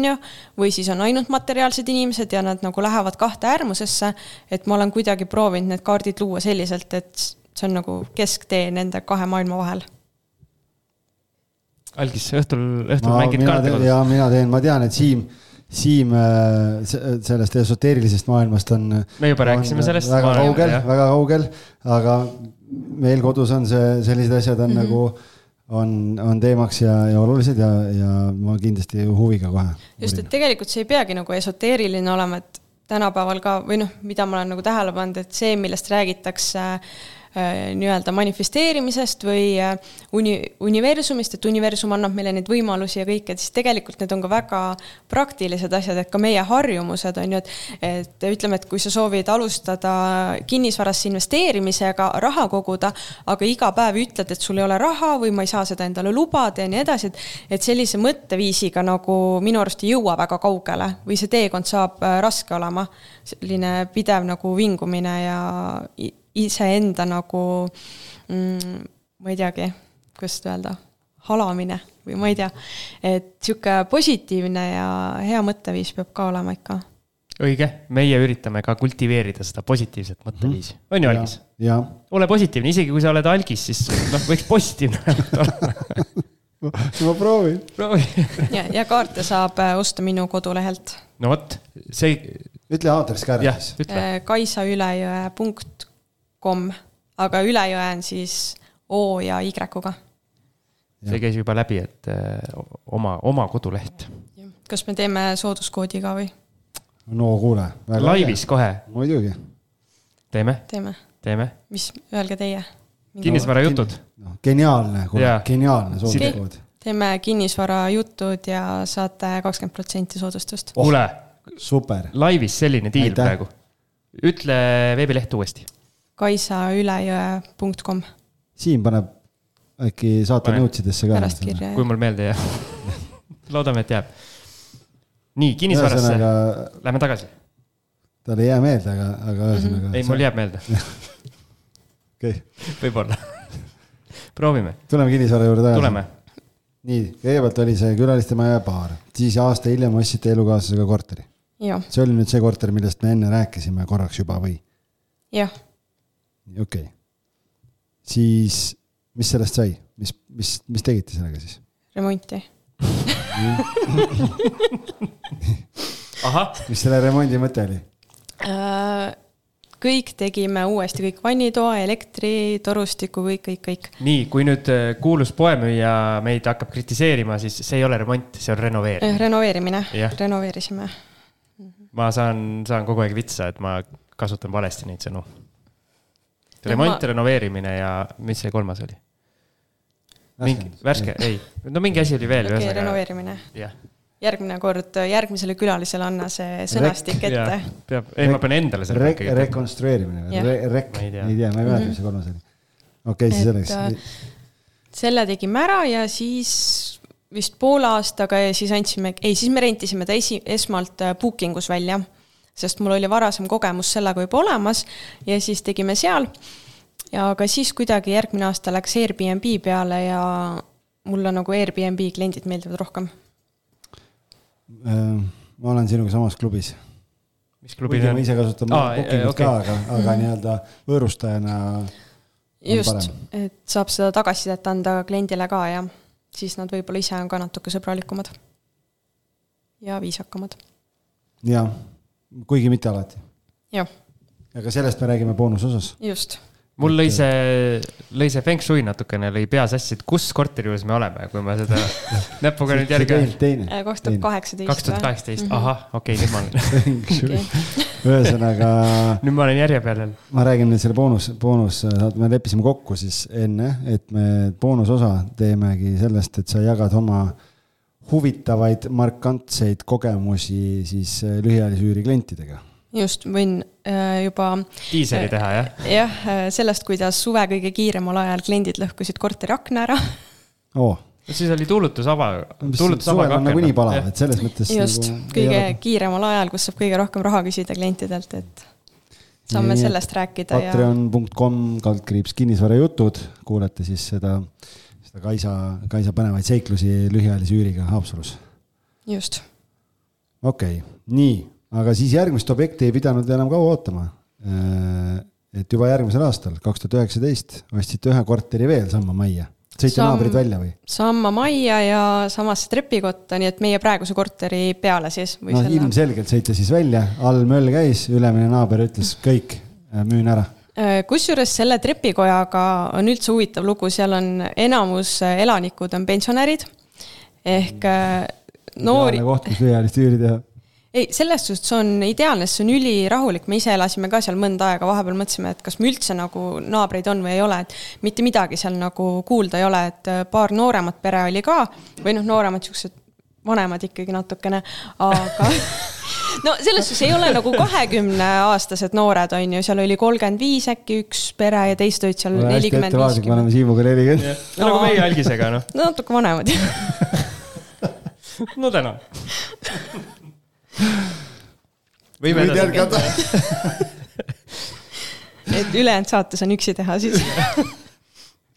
või siis on ainult materiaalsed inimesed ja nad nagu lähevad 2 äärmusesse, et ma olen kuidagi proovinud need kaardid luua selliselt, et see on nagu kesktee nende 2 maailma vahel. Algis, õhtul mängid kaarte kodus? Ja mina teen, ma tean, et Siim sellest esoteerilisest maailmast on me juba rääkisime sellest väga kaugel, aga meil kodus on sellised asjad on nagu on teemaks ja olulised ja ma kindlasti huviga kohe. Just, et tegelikult see ei peagi nagu esoteeriline olema, et tänapäeval ka, või mida ma olen nagu tähele pannud, et see, millest räägitakse nii-öelda manifesteerimisest või universumist, et universum annab meile neid võimalusi ja kõik, et siis tegelikult need on ka väga praktilised asjad, et ka meie harjumused on ju, et ütleme, et kui sa soovid alustada kinnisvarasse investeerimisega, raha koguda, aga iga päev ütled, et sul ei ole raha või ma ei saa seda endale lubada ja nii edasi, et sellise mõtteviisiga nagu minu arust ei jõua väga kaugele või see teekond saab raske olema, selline pidev nagu vingumine ja iseenda nagu, ma ei teagi, kuidas öelda, halamine või ma ei tea, et siuke positiivne ja hea mõtteviis peab ka olema ikka. Õige, meie üritame ka kultiveerida seda positiivset mõtteviisi. On ju, Algis? Ja. Ole positiivne, isegi kui sa oled Algis, siis võiks positiivne olla. ma proovin. ja kaarte saab osta minu kodulehelt. No võt, see... Ütle aadress ka ära siis. kaisaülejõe.com, aga Ülejõe on siis O ja Y-ga. See käis juba läbi, et oma koduleht. Kas me teeme sooduskoodi ka või? No kuule. Laivis kohe. Muidugi. Teeme. Mis, öelge teie? Kinnisvara jutud. Geniaalne sooduskood. Teeme kinnisvara jutud ja saate 20% soodustust. Kuule, super. Laivis selline diil praegu. Ütle veebileht uuesti. kaisaülejõe.com. Siim paneb äkki saate nõutsidesse ka. Kui mul meelde jääb. Loodame, et jääb. Nii, kinnisvarasse. Lähme tagasi. Tal ei jää meelde, aga ühesõnaga. Ei, mul jääb meelde. Okay. Võib-olla. Proovime. Tuleme kinnisvara juurde tagasi. Tuleme. Nii, kõigepealt oli see külaliste maja baar. Siis aasta hiljem ostsite elukaaslasega korteri. Jah. See oli nüüd see korter, millest me enne rääkisime korraks juba või? Jah. Okei. Siis, mis sellest sai? Mis tegite sellega siis? Remonti. Aha. Mis selle remondi mõte oli? Kõik tegime uuesti, kõik vannitoa, elektri, torustiku, kõik. Nii, kui nüüd kuulus poemüüja meid hakkab kritiseerima, siis see ei ole remont, see on renoveerimine. Renoveerimine, renoveerisime. Ma saan kogu aeg vitsa, et ma kasutan valesti neid sõnu. Remont, renoveerimine ja mis see kolmas oli? Värske, ei. No mingi asi oli veel. Okei, renoveerimine. Jah. Järgmine kord, järgmisele külalisele anna see sõnastik ette. Ei, ma pean endale selle rekonstrueerimine. Ei tea, ma ei mäleta, mis see kolmas oli. Okei, siis selleks. Selle tegime ära ja siis vist poole aastaga ja siis me rentisime ta esmalt bookingus välja, sest mul oli varasem kogemus sellega juba olemas ja siis tegime seal. Ja aga siis kuidagi järgmine aasta läks Airbnb peale ja mulle nagu Airbnb kliendid meeldivad rohkem. Ma olen sinuga samas klubis. Mis klubi on? Ma ise kasutan bookingut ka, aga nii-öelda võõrustajana just, et saab seda tagasisidet anda kliendile ka ja siis nad võib-olla ise on ka natuke sõbralikumad ja viisakamad. Ja, kuigi mitte alati. Jah. Aga sellest me räägime boonusosas. Just. Mul lõi see feng shui natukene, lõi pea sassi, et kus korteri juures me oleme, kui ma seda näpuga nüüd järgi... 2018. 2018, aha, okei, nüüd ma olen. Ühesõnaga... Nüüd ma olen järje peal. Ma räägin nüüd selle boonus, me leppisime kokku siis enne, et me boonusosa teemegi sellest, et sa jagad oma huvitavaid markantseid kogemusi siis lühiajalise üüri klientidega. Just, võin juba... Tiiseri teha, jah? Jah, sellest, kuidas suve kõige kiiremal ajal kliendid lõhkusid korteri akna ära. Siis oli tuulutus ava suvel on nagu nii palav, et selles mõttes... Just, kõige kiiremal ajal, kus saab kõige rohkem raha küsida klientidelt, et saame sellest rääkida. Patreon.com/kinnisvara jutud, kuulete siis seda Kaisa põnevaid seiklusi lühiajalise üüriga Haapsalus. Just. Okei, nii. Aga siis järgmist objekti ei pidanud enam kaua ootama. Et juba järgmisel aastal, 2019, ostsite ühe korteri veel Samma majja. Sõite naabrid välja või? Samma majja ja samasse trepikotta, nii et meie praeguse korteri peale siis. No ilmselgelt sõite siis välja, all möll käis, ülemine naaber ütles kõik, müün ära. Kusjuures selle trepikojaga on üldse huvitav lugu, seal on enamus elanikud on pensionärid ehk noori... Ideaalne koht, mis lühiajalist üüri teha. Ei, sellest suhtes on ideaalne, see on ülirahulik, me ise elasime ka seal mõnda aega, vahepeal mõtlesime, et kas me üldse nagu naabreid on või ei ole, et mitte midagi seal nagu kuulda ei ole, et paar nooremat pere oli ka, või nooremat siuksed vanemad ikkagi natukene, aga no selles suhtes ei ole nagu 20-aastased noored on ju, seal oli 35 äkki üks pere ja teist olid seal 40-50. Hästi ettevaatlik, me oleme Siimuga 40. Nagu meie algisega, noh. No natuke vanemad. No täna. Võime jätkata. Et ülejäänud saates on üksi teha siis.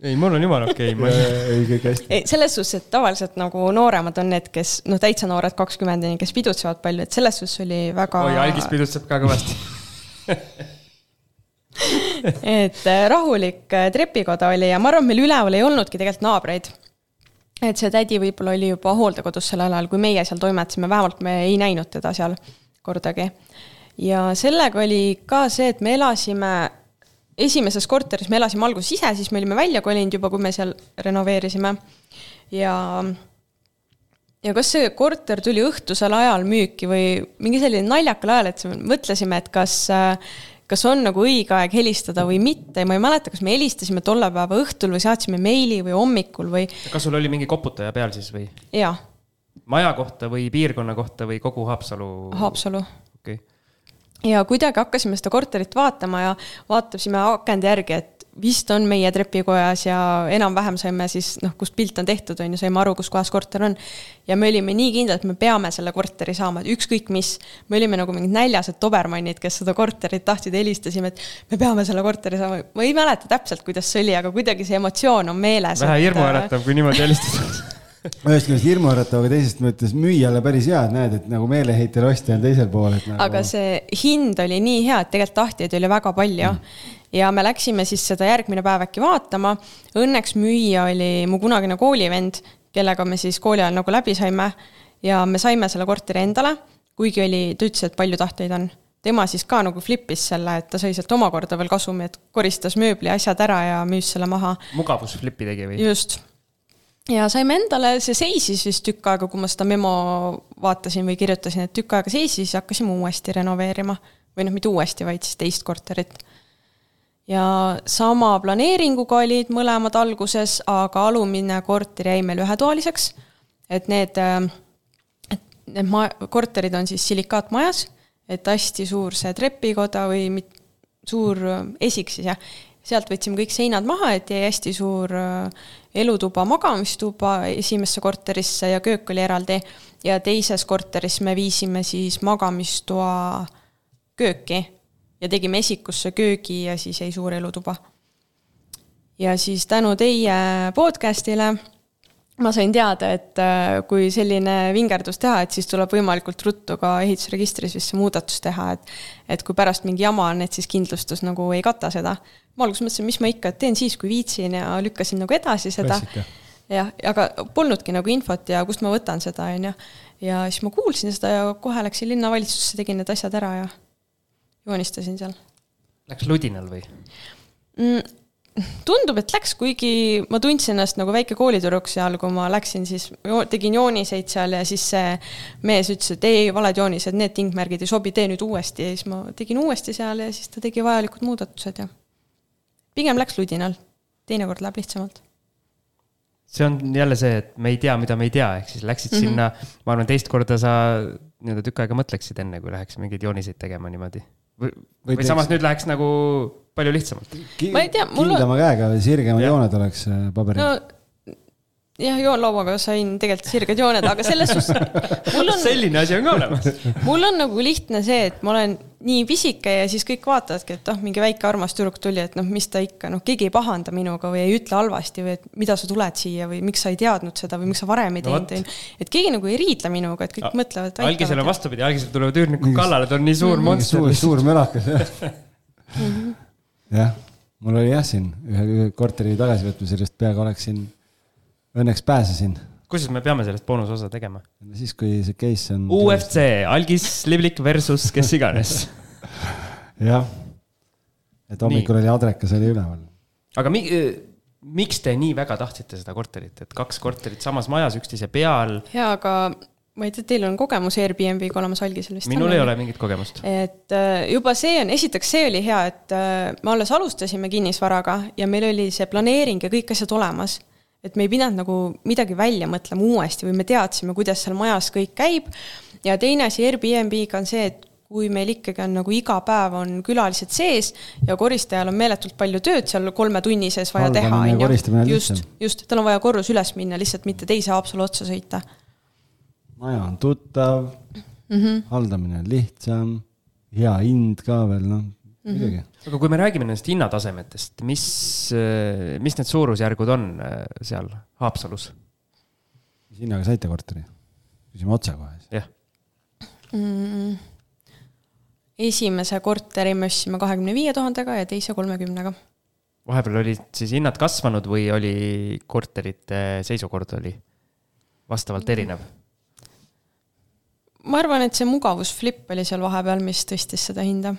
Ei, mul on jumala okei. Ei, selles suhtes, et tavaliselt nagu nooremad on need, kes, täitsa noored 20, kes pidutsevad palju, et selles suhtes oli väga... Oi, algis pidutseb ka kõvasti. Et rahulik trepikoda oli ja ma arvan, meil üleval ei olnudki tegelikult naabreid. et see tädi võib-olla oli juba hooldekodus sellel ajal, kui meie seal toimetasime, vähemalt me ei näinud teda seal kordagi. Ja sellega oli ka see, et me elasime esimeses korteris, me elasime alguses ise, siis me olime välja kolinud juba, kui me seal renoveerisime. Ja kas see korter tuli õhtusel ajal müüki või mingi selline naljakal ajal, et mõtlesime, et kas on nagu õige aeg helistada või mitte. Ma ei mäleta, kas me helistasime tolle päeva õhtul või saatsime meili või hommikul või... Kas sul oli mingi koputaja peal siis või? Jaa. Maja kohta või piirkonna kohta või kogu Haapsalu? Haapsalu. Okay. Ja kuidagi hakkasime seda korterit vaatama ja vaatasime akende järgi, et vist on meie trepikojas ja enam-vähem saime siis, kust pilt on tehtud, on ju, saime aru, kus kohas korter on. Ja me olime nii kindlad, et me peame selle korteri saama, et ükskõik mis. Me olime nagu mingid näljased tobermannid, kes seda korterit tahtsid, helistasime, et me peame selle korteri saama. Ma ei mäleta täpselt, kuidas see oli, aga kuidagi see emotsioon on meeles. Vähe hirmuäratav, kui niimoodi helistada. Ühest küljest hirmuäratav, aga teisest mõttes müüjale päris hea, et näed, et nagu meeleheitel ostja on teisel pool. Nagu... Aga see hind oli nii hea, et tegelikult tahtjaid oli väga palju. Ja me läksime siis seda järgmine päev äkki vaatama. Õnneks müüja oli mu kunagine koolivend, kellega me siis kooli ajal nagu läbi saime. Ja me saime selle korteri endale, kuigi ta ütles, et palju tahtjaid on. Tema siis ka nagu flippis selle, et ta sai sealt omakorda veel kasumi, et koristas mööbli asjad ära ja müüs selle maha. Mugavus flippi tegi või? Just. Ja saime endale, see seisis vist tükk aega, kui ma seda memo vaatasin või kirjutasin, et tükk aega seisis, hakkasime uuesti renoveerima. Või mitte uuesti, vaid siis teist korterit. Ja sama planeeringuga olid mõlemad alguses, aga alumine korter jäi meil ühetoaliseks. Et need korterid on siis silikaatmajas, et hästi suur see trepikoda või suur esik siis, jah. Sealt võtsime kõik seinad maha, et jäi hästi suur elutuba, magamistuba esimesse korterisse ja köök oli eraldi. Ja teises korteris me viisime siis magamistoa kööki ja tegime esikusse köögi ja siis jäi suur elutuba. Ja siis tänu teie podcastile ma sain teada, et kui selline vingerdus teha, et siis tuleb võimalikult ruttu ka ehitusregistris vist see muudatus teha, et kui pärast mingi jama on, et siis kindlustus nagu ei kata seda. Ma alguses mõtlesin, mis ma ikka teen siis, kui viitsin ja lükkasin nagu edasi seda. Ja, aga polnudki nagu infot ja kust ma võtan seda. Ja siis ma kuulsin seda ja kohe läksin linnavalitsusse, tegin need asjad ära ja joonistasin seal. Läks ludinal või? Tundub, et läks, kuigi ma tundsin ennast nagu väike koolitüdruk seal, kui ma läksin, siis tegin jooniseid seal ja siis see mees ütles, et ei, valed joonised, need tingmärgid ei sobi, tee nüüd uuesti ja siis ma tegin uuesti seal ja siis ta tegi vajalikud muudatused ja pigem läks ludinal, teinekord läheb lihtsamalt. See on jälle see, et me ei tea, mida me ei tea, ehk siis läksid sinna, ma arvan, teist korda sa tükk aega mõtleksid enne, kui läheks mingeid jooniseid tegema niimoodi. Või samas nüüd läheks nagu palju lihtsamalt. Ma ei tea, kindlama käega või sirgemad jooned oleks paberil. No, jah, joonlauaga sain tegelikult sirged jooned, aga selles selline asi on ka olemas. Mul on nagu lihtne see, et ma olen nii pisike ja siis kõik vaatavadki, et mingi väike armas tüdruk tuli, et mis ta ikka, keegi ei pahanda minuga või ei ütle halvasti või et mida sa tuled siia või miks sa ei teadnud seda või miks sa varem ei teinud. Et keegi nagu ei riidle minuga, et kõik mõtlevad. Algisel on vastupidi, algisel tulevad üürnikud kallale, ta on nii suur monster. Suur mölakas, jah. Mul oli jah siin ühe korteri tagasivõtmisest peaga oleksin, õnneks pääsesin. Kuidas me peame sellest boonusosa tegema? Siis, kui see case on... UFC, Algis Livlik versus kes iganes. jah. Et hommikul oli adrekas, oli üleval. Aga miks te nii väga tahtsite seda korterit? Et 2 korterit samas majas, üksteise peal? Jaa, aga ma ei tea, teil on kogemus Airbnb-ga olemas Algisel vist. Minul ei ole mingit kogemust. Et juba see on, esiteks see oli hea, et me alles alustasime kinnisvaraga ja meil oli see planeering ja kõik asjad olemas. Et me ei pidanud nagu midagi välja mõtlema uuesti või me teadsime, kuidas seal majas kõik käib. Ja teine asi Airbnb-ga on see, et kui meil ikkagi on nagu iga päev on külalised sees ja koristajal on meeletult palju tööd seal 3 tunni sees vaja teha. Just, tal on vaja korrus üles minna, lihtsalt mitte teise Haapsalu otsa sõita. Maja on tuttav, haldamine on lihtsam, hea hind ka veel, midagi. Aga kui me räägime nendest hinnatasemetest, mis need suurusjärgud on seal Haapsalus? Mis hinnaga saite korteri? Küsime otsa kohe. Jah. Esimese korteri me ostsime 25 000 ja teise 30 000. Vahepeal oli siis hinnad kasvanud või oli korterite seisukord oli? vastavalt erinev? Ma arvan, et see mugavusflip oli seal vahepeal, mis tõstis seda hinda.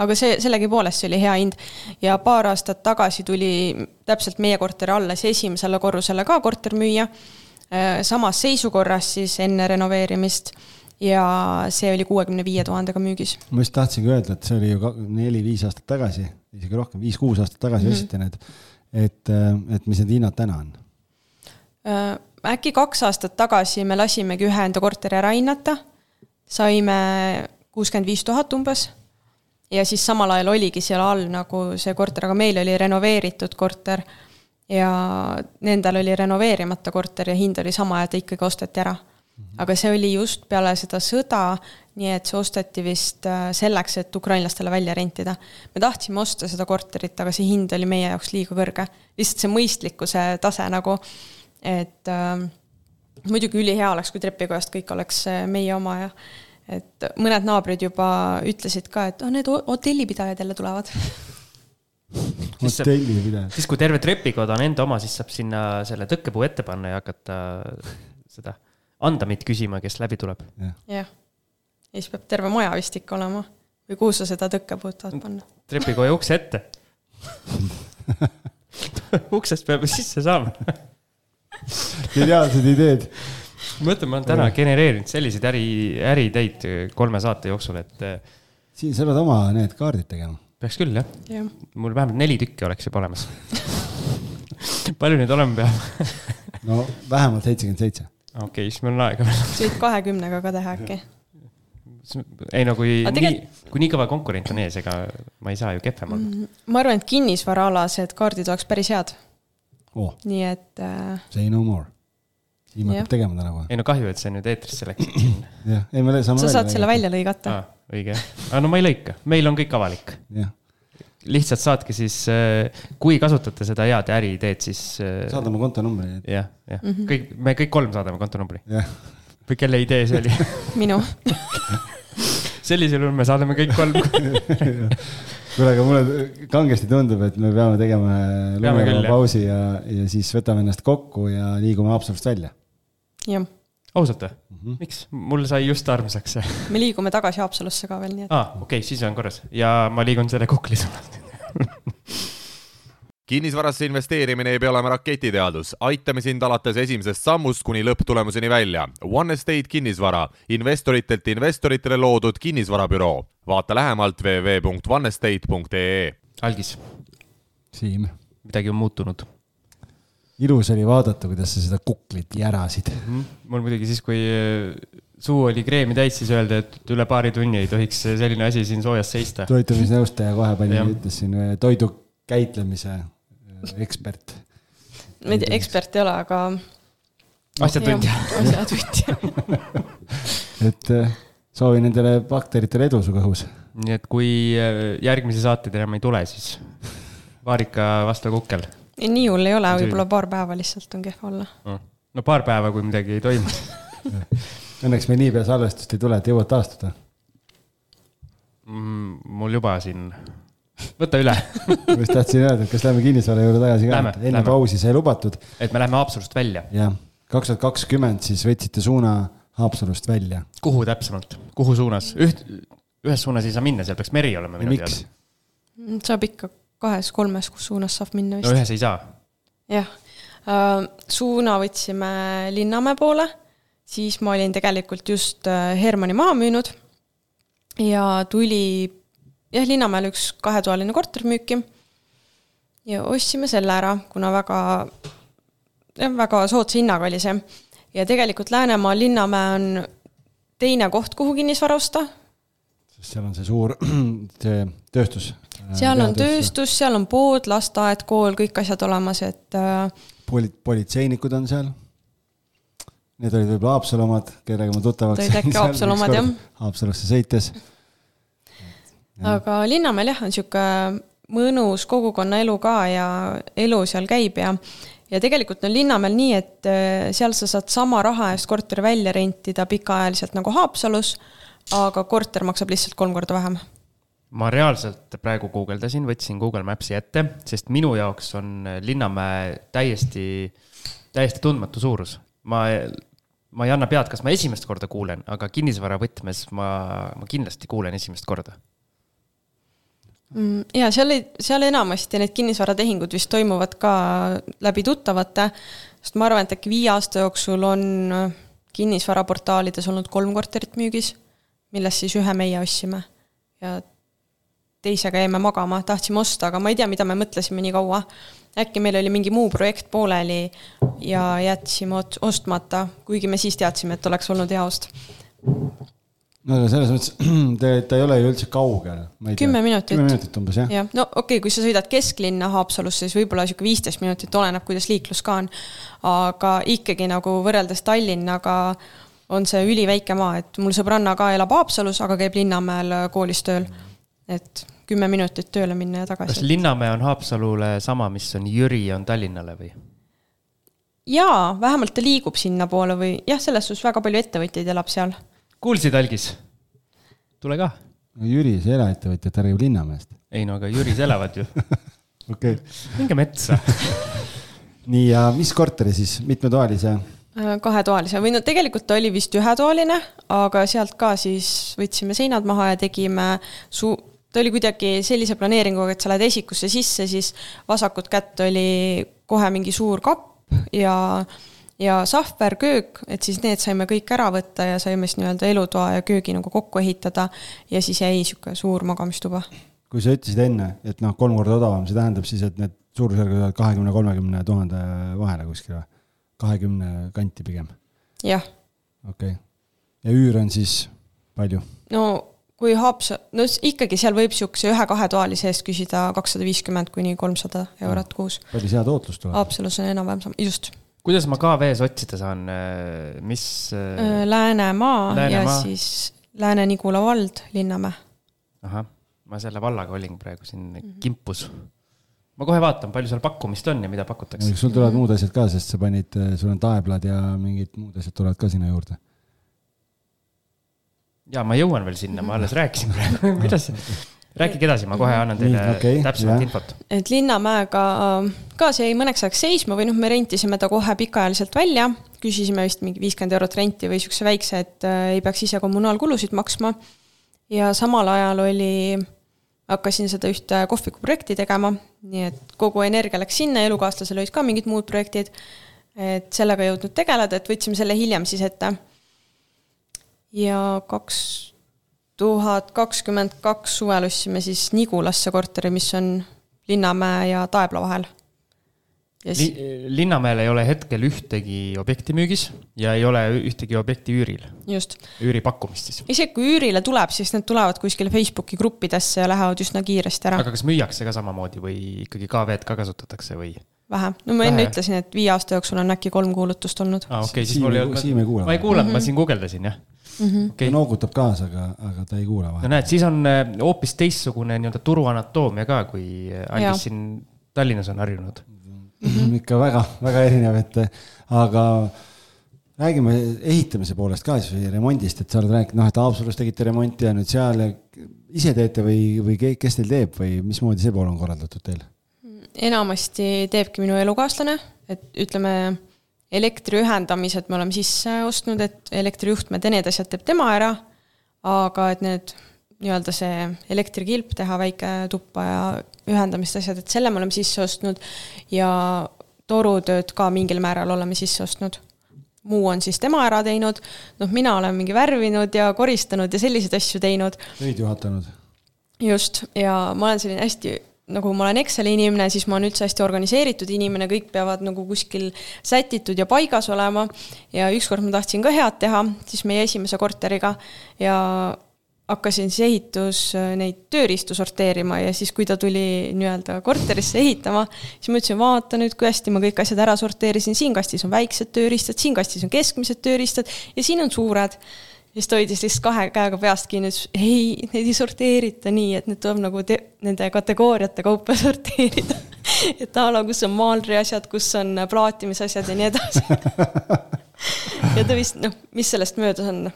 Aga sellegi poolest see oli hea hind. Ja paar aastat tagasi tuli täpselt meie korteri alla see esimesele korrusele ka kortermüüja. Samas seisukorras siis enne renoveerimist ja see oli 65 000 müügis. Ma just tahtsingi öelda, et see oli ju 4-5 aastat tagasi, isegi rohkem, 5-6 aastat tagasi ositi need, et mis need hinnad täna on? Äkki 2 aastat tagasi me lasimegi ühe enda korteri ära hinnata. Saime 65 000 umbes ja siis samal ajal oligi seal all nagu see korter, aga meil oli renoveeritud korter ja nendel oli renoveerimata korter ja hind oli sama ja ta ikkagi osteti ära. Aga see oli just peale seda sõda, nii et see osteti vist selleks, et ukrainlastele välja rentida. Me tahtsime osta seda korterit, aga see hind oli meie jaoks liiga kõrge. Lihtsalt see mõistlikkuse tase nagu, et muidugi ülihea oleks, kui trepikojast kõik oleks meie oma ja et mõned naabrid juba ütlesid ka, et need hotellipidajad jälle tulevad. Hotellipidajad. Siis kui terve trepikod on enda oma, siis saab sinna selle tõkkepuu ette panna ja hakata seda andamit küsima, kes läbi tuleb. Jah. Ja siis peab terve maja vist ikka olema. Või kuhu sa seda tõkkepuud tahad panna? Trepikoja ukse ette. Uksest peab sisse saama. Geniaalsed ideed. Mõtlen, ma olen täna genereerinud selliseid äriteid 3 saate jooksul, et siin sa pead oma need kaardid tegema. Peaks küll, jah. Ja. Mul vähemalt 4 tükki oleks juba olemas. Palju neid olema peab? No vähemalt 77. Okei, siis meil on aega veel. Sa võid 20 ka teha äkki. Ei no, kui nii kõva konkurent on ees, ega ma ei saa ju kepfem olla. Ma arvan, et kinnisvaraalased kaardid oleks päris head. Nii et say no more. Ima peab tegema täna kohe. Ei no kahju, et see nüüd eetrisse läks. Jah, ei me saame sa saad selle välja lõigata. Õige. No ma ei lõika. Meil on kõik avalik. Lihtsalt saadki siis, kui kasutate seda head äriideed, siis saadame kontonumbri. Jah. Me kõik 3 saadame kontonumbri. Või kelle idee see oli? Minu. Sellisel me saadame kõik 3. Kuule, aga mulle kangesti tundub, et me peame tegema lumeva pausi ja siis võtame ennast kokku ja liigume Haapsalust välja. Jah. Ausalt või? Miks? Mul sai just armsaks. Me liigume tagasi Haapsalusse ka veel. Okei, siis on korras. Ja ma liigun selle kukli suunalt. Kinnisvarasse investeerimine ei pea olema raketiteadus. Aitame sind alates esimesest sammust kuni lõpptulemuseni välja. One Estate kinnisvara. Investoritelt investoritele loodud kinnisvarabüroo. Vaata lähemalt www.onestate.ee. Algis. Siim. Midagi on muutunud. Ilus oli vaadata, kuidas sa seda kuklit järasid. Mul muidugi siis, kui suu oli kreemi täis, siis öelda, et üle paari tunni ei tohiks selline asi siin soojas seista. Toitumisnõustaja kohe palju ütles siin toidu käitlemise ekspert. Ma ei tea, ekspert ei ole, aga asjatundja. Et soovin nendele bakteritele edu su kõhus. Nii et kui järgmise saated enam ei tule, siis vaarika vastu kukkel. Nii hull ei ole, võib-olla paar päeva lihtsalt on kehva olla. No paar päeva, kui midagi ei toimu. Õnneks me nii pea salvestust ei tule, et jõuad taastuda. Mul juba siin... Võta üle. Ma just tahtsin öelda, et kas lähme kinnisvara juurde tagasi ka? Enne pausi sai lubatud. Et me lähme Haapsalust välja. Jah, 2020 siis võtsite suuna Haapsalust välja. Kuhu täpsemalt? Kuhu suunas? Ühes suunas ei saa minna, seal peaks meri olema. Miks? Saab ikka 2-3, kus suunas saab minna vist. No ühes ei saa. Jah. Suuna võtsime Linnamäe poole, siis ma olin tegelikult just Hermanni maha müünud ja tuli Linnamäel üks 2-toaline kortermüüki ja ostsime selle ära, kuna väga soodsa hinnaga oli see. Ja tegelikult Läänemaa Linnamäe on teine koht, kuhu kinnisvara osta. Seal on see suur tööstus. Seal on tööstus, seal on pood, lasteaed, kool, kõik asjad olemas. Et politseinikud on seal. Need olid võib-olla Haapsalumad, kellega ma tuttavaks. Tõid äkki Haapsalumad, jah. Haapsalusse sõites. Aga Linnamäel on siuke mõnus kogukonna elu ka ja elu seal käib ja tegelikult on Linnamäel nii, et seal sa saad sama raha eest korteri välja rentida pikaajaliselt nagu Haapsalus, aga korter maksab lihtsalt 3 korda vähem. Ma reaalselt praegu guugeldasin, võtsin Google Mapsi ette, sest minu jaoks on Linnamäe täiesti tundmatu suurus. Ma ma ei anna pead, kas ma esimest korda kuulen, aga kinnisvara võtmes ma kindlasti kuulen esimest korda. Ja seal enamasti need kinnisvaratehingud vist toimuvad ka läbi tuttavate, sest ma arvan, et äkki 5 aasta jooksul on kinnisvaraportaalides olnud 3 korterit müügis, millest siis 1 meie ostsime ja teisega jäime magama, tahtsime osta, aga ma ei tea, mida me mõtlesime nii kaua. Äkki meil oli mingi muu projekt pooleli ja jätsime ostmata, kuigi me siis teadsime, et oleks olnud hea ost. No selles mõttes, ta ei ole ju üldse kaugel. 10 minutit. 10 minutit umbes, jah? Ja, no okei, kui sa sõidad kesklinna Haapsalusse, siis võib-olla 15 minutit oleneb, kuidas liiklus ka on. Aga ikkagi nagu võrreldes Tallinnaga on see üliväike maa, et mul sõbranna ka elab Haapsalus, aga käib Linnamäel koolis tööl. Et 10 minutit tööle minna ja tagasi. Kas Linnamäe on Haapsalule sama, mis on Jüri on Tallinnale või? Jaa, vähemalt ta liigub sinna poole või jah, selles suhtes väga palju ettevõtjaid elab seal. Kuulsid, Algis? Tule ka. No Jüris eraettevõtjad räägib Linnamäest. Ei no, aga Jüris elavad ju. Okei. Minge metsa. Nii, ja mis korteri siis? Mitmetoalise? 2-toalise. Või no tegelikult ta oli vist 1-toaline, aga sealt ka siis võtsime seinad maha ja tegime ta oli kuidagi sellise planeeringuga, et sa lähed esikusse sisse, siis vasakut kätt oli kohe mingi suur kapp ja sahver, köök, et siis need saime kõik ära võtta ja saime siis nii-öelda elutoa ja köögi nagu kokku ehitada ja siis jäi siuke suur magamistuba. Kui sa ütlesid enne, et 3 korda odavam, see tähendab siis, et need suurusjärgud 20-30 000 vahele kuskil või? 20 kanti pigem? Jah. Okei. Ja üür on siis palju? No kui no ikkagi seal võib siukse 1-2 toalise eest küsida 250 kuni 300 eurot kuus. Palju hea tootlus tuleb? Haapsalus on enam-vähem sama, just. Kuidas ma KV-s otsida saan, mis... Läänemaa ja siis Lääne-Nigula vald, Linnamäe. Aha, ma selle vallaga olin praegu siin kimpus. Ma kohe vaatan, palju seal pakkumist on ja mida pakutakse. Sul tulevad muud asjad ka, sest sa panid, sul on taeblad ja mingid muud asjad tulevad ka sinna juurde. Ja ma jõuan veel sinna, ma alles rääkisin praegu. Rääkige edasi, ma kohe annan teile täpsemalt infot. Et Linnamäega ka see jäi mõneks ajaks seisma või me rentisime ta kohe pikaajaliselt välja, küsisime vist mingi 50 eurot renti või siukse väikse, et ei peaks ise kommunaalkulusid maksma ja samal ajal hakkasin seda ühte kohvikuprojekti tegema, nii et kogu energia läks sinna, elukaaslasel olid ka mingid muud projektid, et sellega jõudnud tegeleda, et võtsime selle hiljem siis ette. Ja 2022 suvel ostsime siis Nigulasse korteri, mis on Linnamäe ja Taebla vahel. Linnamäel ei ole hetkel ühtegi objekti müügis ja ei ole ühtegi objekti üüril. Just. Üüri pakkumist siis. Isegi kui üürile tuleb, siis need tulevad kuskile Facebooki gruppidesse ja lähevad üsna kiiresti ära. Aga kas müüakse ka samamoodi või ikkagi KV-d ka kasutatakse või? Vähe. No ma enne ütlesin, et 5 aasta jooksul on äkki 3 kuulutust olnud. Okay, siis ma ei kuulanud, ma siin guugeldasin, jah. Okay. Ta noogutab kaasa, aga ta ei kuule vahel. No näed, siis on hoopis teistsugune turu anatoomia ka, kui Algis siin Tallinnas on harjunud. Ikka väga, väga erinev, aga räägime ehitamise poolest ka siis või remondist, et sa oled rääkinud, et Haapsalus tegite remonti ja nüüd seal ise teete või kes teil teeb või mismoodi see pool on korraldatud teil? Enamasti teebki minu elukaaslane, et ütleme elektri ühendamised me oleme sisse ostnud, et elektrijuhtmed ja need asjad teeb tema ära, aga et need nii-öelda see elektrikilp teha väike tuppa ja ühendamist asjad, et selle me oleme sisse ostnud ja torutööd ka mingil määral oleme sisse ostnud. Muu on siis tema ära teinud, mina olen mingi värvinud ja koristanud ja selliseid asju teinud. Tõid juhatanud. Just, ja ma olen selline hästi... Nagu ma olen Exceli inimene, siis ma olen üldse hästi organiseeritud inimene, kõik peavad nagu kuskil sätitud ja paigas olema ja ükskord ma tahtsin ka head teha, siis meie esimese korteriga ja hakkasin siis ehitus neid tööriistu sorteerima ja siis kui ta tuli nii-öelda korterisse ehitama, siis ma ütlesin, vaata nüüd, kui hästi ma kõik asjad ära sorteerisin, siin kastis on väiksed tööriistad, siin kastis on keskmised tööriistad ja siin on suured. Ja siis toidis lihtsalt 2 käega peast kinni, ei, need ei sorteerita nii, et need tuleb nagu nende kategooriate kaupa sorteerida. Et ala, kus on maalri asjad, kus on plaatimisasjad ja nii edasi. Ja ta vist, mis sellest möödas on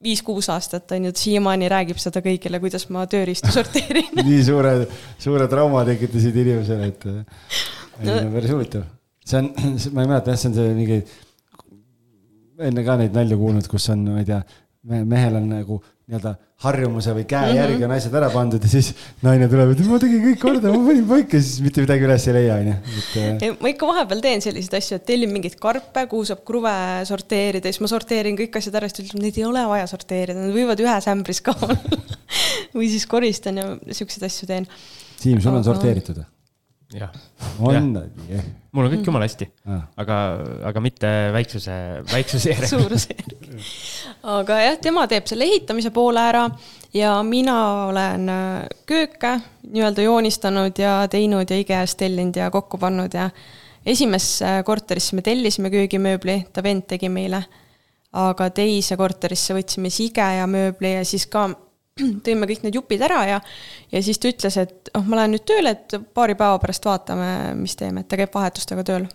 5-6 aastat, on ju, siiamaani räägib seda kõigile, kuidas ma tööriistu sorteerin. Nii suure trauma tekitasid inimesele, et päris huvitav. See on, ma ei mäleta, see on see mingi enne ka neid nalju kuulnud, kus on, ma ei tea, mehel on nagu nii-öelda harjumuse või käe järgi on asjad ära pandud ja siis naine tuleb, et ma tegin kõik korda, ma panin paika, siis mitte midagi üles ei leia. Ma ikka vahepeal teen selliseid asju, et tellin mingit karpe, kuhu saab kruve sorteerida, siis ma sorteerin kõik asjad ära, siis neid ei ole vaja sorteerida, nad võivad ühes ämbris ka olla. Või siis koristan ja siukseid asju teen. Siim, sul on sorteeritud? Jah. On? Mul on kõik jumala hästi, aga mitte väiksuse järgi. Suuruse järgi. Aga jah, tema teeb selle ehitamise poole ära ja mina olen kööke nii-öelda joonistanud ja teinud ja IKEA-st tellinud ja kokku pannud ja esimesse korterisse me tellisime köögimööbli, ta vend tegi meile, aga teise korterisse võtsime IKEA mööbli ja siis ka tõime kõik need jupid ära ja siis ta ütles, et ma lähen nüüd tööle, et paari päeva pärast vaatame, mis teeme, et ta käib vahetustega tööl.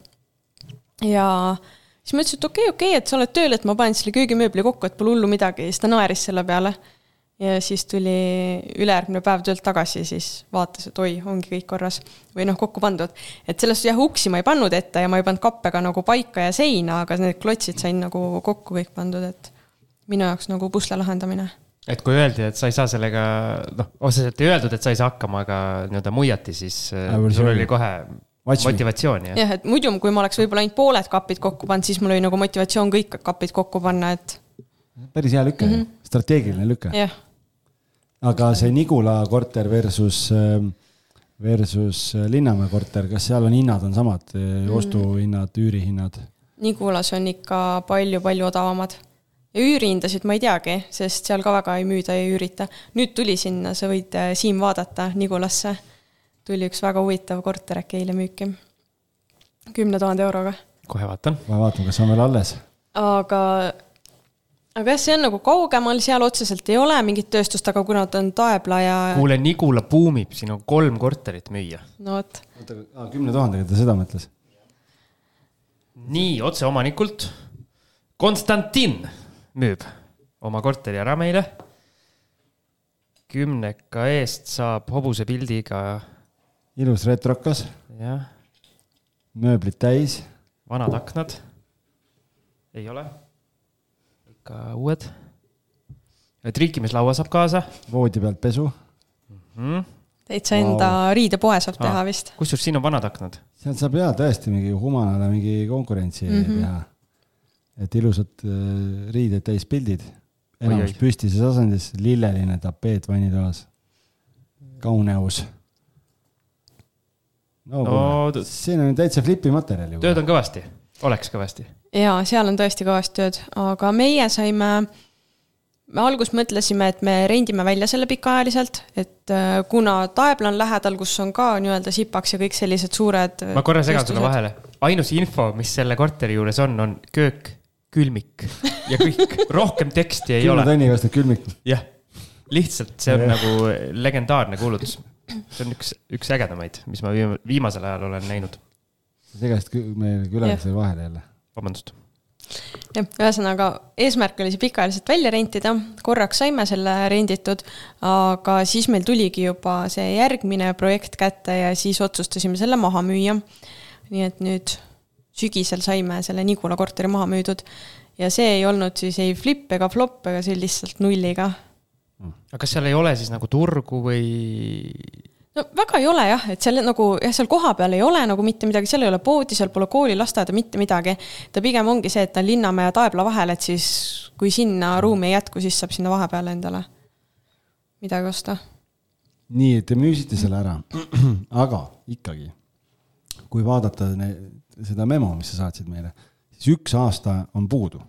Ja siis ma ütlesin, et okei, et sa oled tööl, et ma panen selle köögimööbli kokku, et pole hullu midagi, siis ta naeris selle peale. Ja siis tuli ülejärgmine päev töölt tagasi, siis vaatas, et oi, ongi kõik korras või kokku pandud. Et sellest uksi ma ei pannud ette ja ma ei pannud kappega nagu paika ja seina, aga need klotsid sain nagu kokku kõik pandud, et minu jaoks nagu pusle lahendamine. Et kui öeldi, et sa ei saa sellega, otseselt ei öeldud, et sa ei saa hakkama, aga nii-öelda muiati, siis sul oli kohe motivatsioon. Jah, et muidu, kui ma oleks võib-olla ainult pooled kapid kokku pannud, siis mul oli nagu motivatsioon kõik kapid kokku panna, et... Päris hea lüke, strateegiline lüke. Jah. Aga see Nigula korter versus Linnamäe korter, kas seal on hinnad on samad, ostuhinnad, üürihinnad? Nigulas on ikka palju odavamad. Ja üürihindasid ma ei teagi, sest seal ka väga ei müüda ja üürita. Nüüd tuli sinna, sa võid Siim vaadata Nigulasse. Tuli üks väga huvitav korter äkki eile müüki. 10 000 euroga. Kohe vaatan. Kas on veel alles? Aga jah, see on nagu kaugemal, seal otseselt ei ole mingit tööstust, aga kuna ta on Taebla ja... Kuule, Nigula buumib, siin on 3 korterit müüa. No võt. 10 000, ta seda mõtles. Nii, otse omanikult. Konstantin müüb oma korteri ära meile. 10 eest saab hobuse pildiga. Ilus retrokas. Jah. Mööblid täis. Vanad aknad. Ei ole. Ikka uued. Triikimislaua saab kaasa. Voodi pealt pesu. Täitsa enda riidepoe saab teha vist. Kusjuures siin on vanad aknad. Seal saab tõesti mingi humanale mingi konkurentsi teha. Et ilusad riided täis pildid. Enamus püstises asendis, lilleline tapeet vannitoas. Kauneus. Siin on täitsa flipi materjali. Tööd on kõvasti. Oleks kõvasti. Jaa, seal on tõesti kõvasti tööd. Aga meie saime... Me algus mõtlesime, et me rendime välja selle pikaajaliselt, et kuna Taebla on lähedal, kus on ka nii-öelda Sipaks ja kõik sellised suured... Ma korra segan sulle vahele. Ainus info, mis selle korteri juures on köök, külmik ja kõik. Rohkem teksti ei ole. 10 tonni kostab külmik. Jah, lihtsalt see on nagu legendaarne kuulutus. See on üks ägedamaid, mis ma viimasel ajal olen näinud. Segast meil külalise vahele jälle. Vabandust. Ja, ühesõnaga, eesmärk oli see pikaajaliselt välja rentida, korraks saime selle renditud, aga siis meil tuligi juba see järgmine projekt kätte ja siis otsustasime selle maha müüa. Nii et nüüd sügisel saime selle Nigula korteri maha müüdud ja see ei olnud siis ei flip ega flop, ega see lihtsalt nulliga. Aga kas seal ei ole siis nagu turgu või... No väga ei ole jah, et seal, nagu, seal koha peal ei ole nagu mitte midagi, seal ei ole poodi, seal pole kooli, lasteaeda, mitte midagi. Ta pigem ongi see, et ta on Linnamäe ja Taebla vahel, et siis kui sinna ruumi ei jätku, siis saab sinna vahepeale endale midagi osta. Nii, et te müüsite selle ära, aga ikkagi, kui vaadata seda memo, mis sa saatsid meile, siis 1 aasta on puudu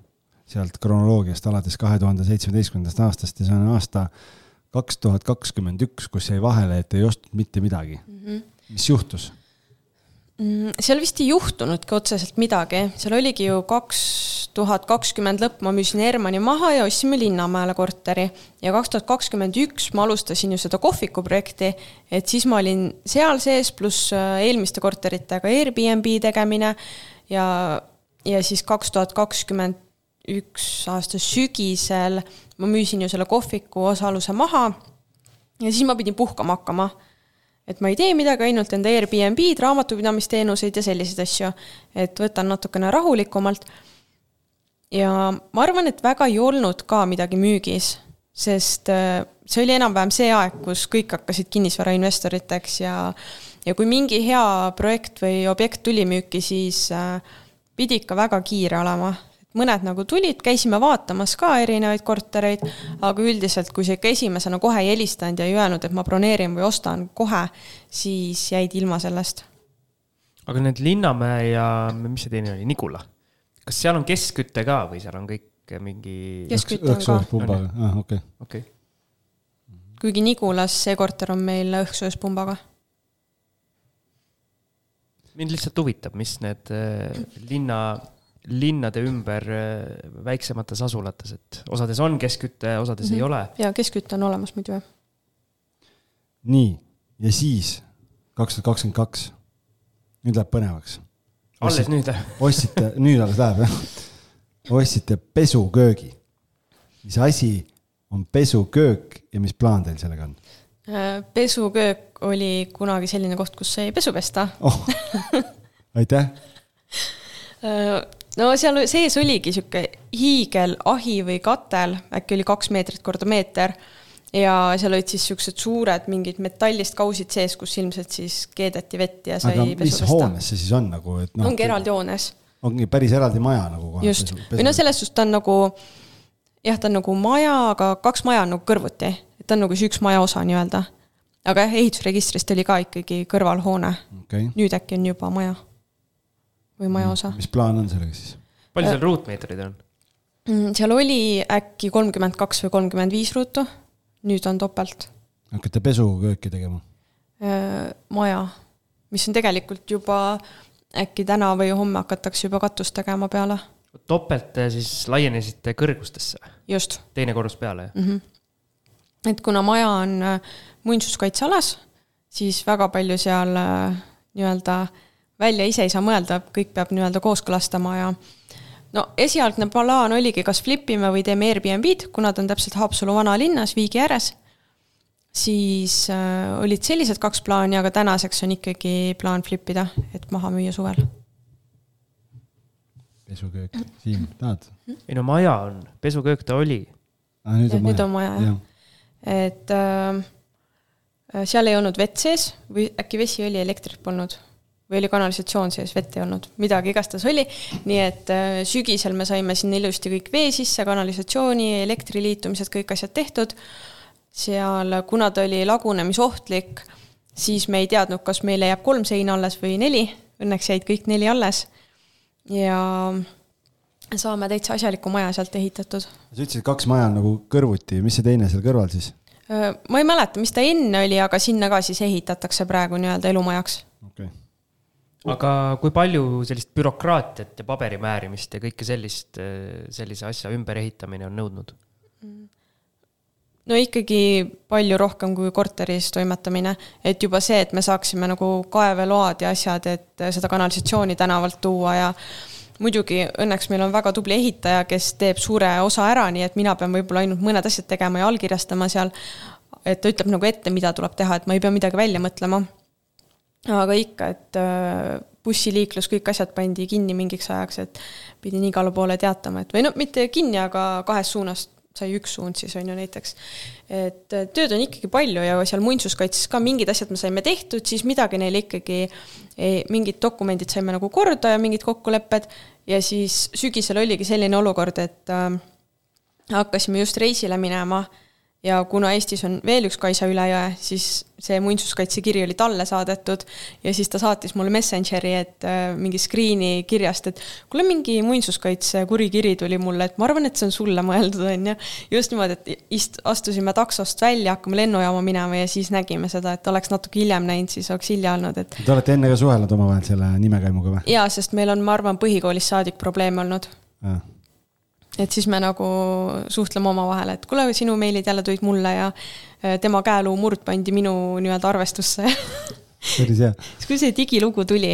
sealt kronoloogiast alates 2017. aastast ja see on aasta 2021, kus jäi vahele, et ei ostnud mitte midagi. Mis juhtus? Seal vist ei juhtunudki otseselt midagi. Seal oligi ju 2020 lõpp, ma müüsin Ermani maha ja ostsime Linnamäele korteri. Ja 2021 ma alustasin ju seda kohviku projekti, et siis ma olin seal sees pluss eelmiste korteritega Airbnb tegemine ja siis 2021 aasta sügisel ma müüsin ju selle kohviku osaluse maha ja siis ma pidin puhkama hakkama. Et ma ei tee midagi, ainult enda Airbnb-d, raamatupidamisteenuseid ja selliseid asju, et võtan natukene rahulikumalt. ja ma arvan, et väga ei olnud ka midagi müügis, sest see oli enam-vähem see aeg, kus kõik hakkasid kinnisvarainvestoriteks ja kui mingi hea projekt või objekt tuli müüki, siis pidi ikka väga kiire olema. Mõned nagu tulid, käisime vaatamas ka erinevaid kortereid, aga üldiselt, kui see ikka esimesena kohe ei helistanud ja ei öelnud, et ma broneerin või ostan kohe, siis jäid ilma sellest. Aga need Linnamäe ja mis see teine oli, Nikula? Kas seal on keskkütte ka või seal on kõik mingi... Keskkütte on ka. Pumbaga, okei. Kuigi Nikulas see korter on meil õhksööspumbaga. Mind lihtsalt huvitab, mis need linnade ümber väiksemates asulates, et osades on keskkütte, osades ei ole. Ja keskkütte on olemas muidu. Nii, ja siis 2022, nüüd läheb põnevaks. Alles nüüd? Ostsite, nüüd alles läheb, jah. Ostsite pesuköögi. Mis asi on pesuköök ja mis plaan teil sellega on? Pesuköök oli kunagi selline koht, kus sai pesu pesta. Aitäh! No seal sees oligi siuke hiigel ahi või katel, äkki oli 2 meetrit korda meeter ja seal olid siis siuksed suured mingid metallist kausid sees, kus ilmselt siis keedeti vett ja sai pesu pesta. Aga mis hoones see siis on? Nagu, et ongi eraldi hoones. Ongi päris eraldi maja nagu kohe. Just. Või no selles suhtes ta on nagu, jah, ta on nagu maja, aga 2 maja on nagu kõrvuti. Ta on nagu see üks maja osa nii-öelda. Aga ehitusregistrist oli ka ikkagi kõrvalhoone. Okay. Nüüd äkki on juba maja. Või maja osa. Mis plaan on sellega siis? Palju seal ruutmeetrid on? Seal oli äkki 32 või 35 ruutu. Nüüd on topelt. Hakkate pesukööki tegema? Maja. Mis on tegelikult juba äkki täna või homme hakatakse juba katust tegema peale. Topelt siis laienesite kõrgustesse? Just. Teine korrus peale? Et kuna maja on muinsuskaitsealas, siis väga palju seal nii-öelda välja ise ei saa mõelda, kõik peab nii-öelda kooskõlastama ja no esialgne plaan oligi, kas flipime või teeme Airbnb-d, kuna ta on täpselt Haapsalu vanalinnas, Viigi ääres, siis olid sellised 2 plaani, aga tänaseks on ikkagi plaan flipida, et maha müüa suvel. Pesuköök, Siim, tahad? Ei no maja on, pesuköök ta oli. Nüüd on maja, jah. Et seal ei olnud vett sees või äkki vesi oli, elektrit polnud või oli kanalisatsioon sees, vett ei olnud, midagi igastas oli, nii et sügisel me saime sinna ilusti kõik vee sisse, kanalisatsiooni, elektriliitumised, kõik asjad tehtud. Seal, kuna ta oli lagunemisohtlik, siis me ei teadnud, kas meile jääb 3 seina alles või 4, õnneks jäid kõik 4 alles ja saame täitsa asjaliku maja sealt ehitatud. Sa ütlesid, 2 maja on nagu kõrvuti, mis see teine seal kõrval siis? Ma ei mäleta, mis ta enne oli, aga sinna ka siis ehitatakse praegu nii-öelda elumajaks. Okay. Aga kui palju sellist bürokraatiat ja paberimäärimist ja kõike sellise asja ümber ehitamine on nõudnud? No ikkagi palju rohkem kui korteris toimetamine, et juba see, et me saaksime nagu kaeveload ja asjad, et seda kanalisatsiooni tänavalt tuua ja muidugi õnneks meil on väga tubli ehitaja, kes teeb suure osa ära, nii et mina pean võib-olla ainult mõned asjad tegema ja allkirjastama seal, et ta ütleb nagu ette, mida tuleb teha, et ma ei pea midagi välja mõtlema. Aga ikka, et bussiliiklus, kõik asjad pandi kinni mingiks ajaks, et pidin igale poole teatama, et või no mitte kinni, aga 2 suunast sai 1 suund siis on ju näiteks. Et tööd on ikkagi palju ja seal muinsuskaitses ka mingid asjad me saime tehtud, siis midagi neil ikkagi, mingid dokumendid saime nagu korda ja mingid kokkulepped ja siis sügisel oligi selline olukord, et hakkasime just reisile minema ja kuna Eestis on veel üks Kaisa üle jõe, siis see muinsuskaitsekiri oli talle saadetud ja siis ta saatis mulle Messengeri, et mingi screeni kirjast, et kuule mingi muinsuskaitse kurikiri tuli mulle, et ma arvan, et see on sulle mõeldud on ja just niimoodi, et astusime taksost välja, hakkame lennujaama minema ja siis nägime seda, et oleks natuke hiljem näinud, siis oleks hilja olnud. Et... Te olete enne ka suhelnud oma vahel selle nimekaimuga või? Jaa, sest meil on, ma arvan, põhikoolis saadik probleeme olnud. Ja. Et siis me nagu suhtleme oma vahel, et kuule, sinu meilid jälle tulid mulle ja tema käeluu murd pandi minu nii-öelda arvestusse. Päris hea. Siis kui see digilugu tuli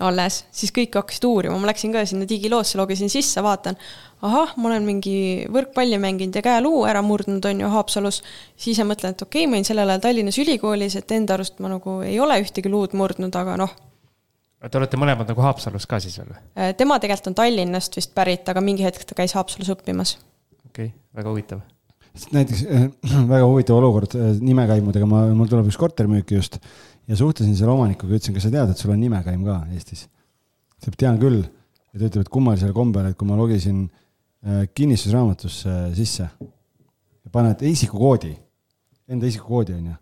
alles, siis kõik hakkasid uurima. Ma läksin ka sinna digiloosse, logisin sisse, vaatan, ahah, ma olen mingi võrkpalli mänginud ja käeluu ära murdnud on ju Haapsalus. Siis mõtlen, et okei, ma olin sellel ajal Tallinnas ülikoolis, et enda arust ma nagu ei ole ühtegi luud murdnud, aga noh, Te olete mõlemad nagu Haapsalus ka siis veel? Tema tegelikult on Tallinnast vist pärit, aga mingi hetk ta käis Haapsalus õppimas. Okei, väga huvitav. Näiteks väga huvitav olukord nimekäimudega, mul tuleb üks kortermüüki just ja suhtlesin selle omanikuga, ütlesin, kas sa tead, et sul on nimekäim ka Eestis? Ta tean küll ja ta ütleb, et kummalisel kombel, et kui ma logisin kinnistusraamatusse sisse ja paned isikukoodi, enda isikukoodi on ju,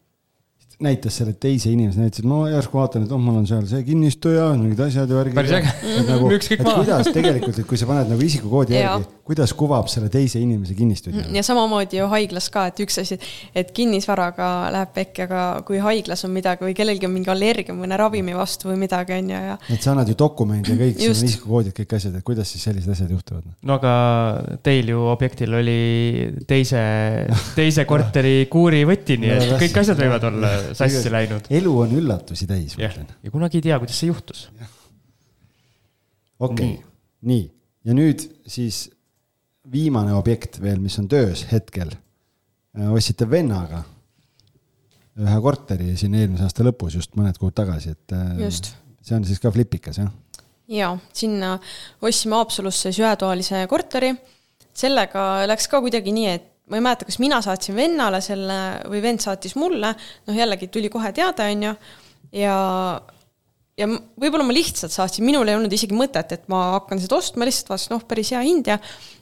näitas selle teise inimese, näitasid, ma järsku vaatan, et mul on seal see kinnistuja, mingid asjad ja värgid. Päris äge. Nagu, Müks kõik maa. Kuidas tegelikult, et kui sa paned nagu isikukoodi järgi, kuidas kuvab selle teise inimese kinnistuja? Ja samamoodi ju haiglas ka, et üks asi, et kinnisvaraga läheb pekki, aga kui haiglas on midagi või kellelgi on mingi allergia mõne ravimi vastu või midagi on ja. Et sa annad ju dokumendi ja kõik, sul on isikukoodid, kõik asjad, et kuidas siis sellised asjad juhtuvad? No aga teil ju objektil oli teise korteri kuuri võtini, et kõik asjad võivad olla sassi läinud. Elu on üllatusi täis. Ja kunagi ei tea, kuidas see juhtus. Okei, nii. Ja nüüd siis viimane objekt veel, mis on töös hetkel. Ostsite vennaga ühe korteri siin eelmise aasta lõpus just mõned kuud tagasi. Et just. See on siis ka flipikas, jah? Jaa, sinna ostsime Haapsalusse ühetoalise korteri. Sellega läks ka kuidagi nii, et ma ei mäleta, kas mina saatsin vennale selle või vend saatis mulle, jällegi tuli kohe teada on ju, ja võib-olla ma lihtsalt saatsin, minul ei olnud isegi mõtet, et ma hakkan seda ostma, lihtsalt vaatasin, päris hea hind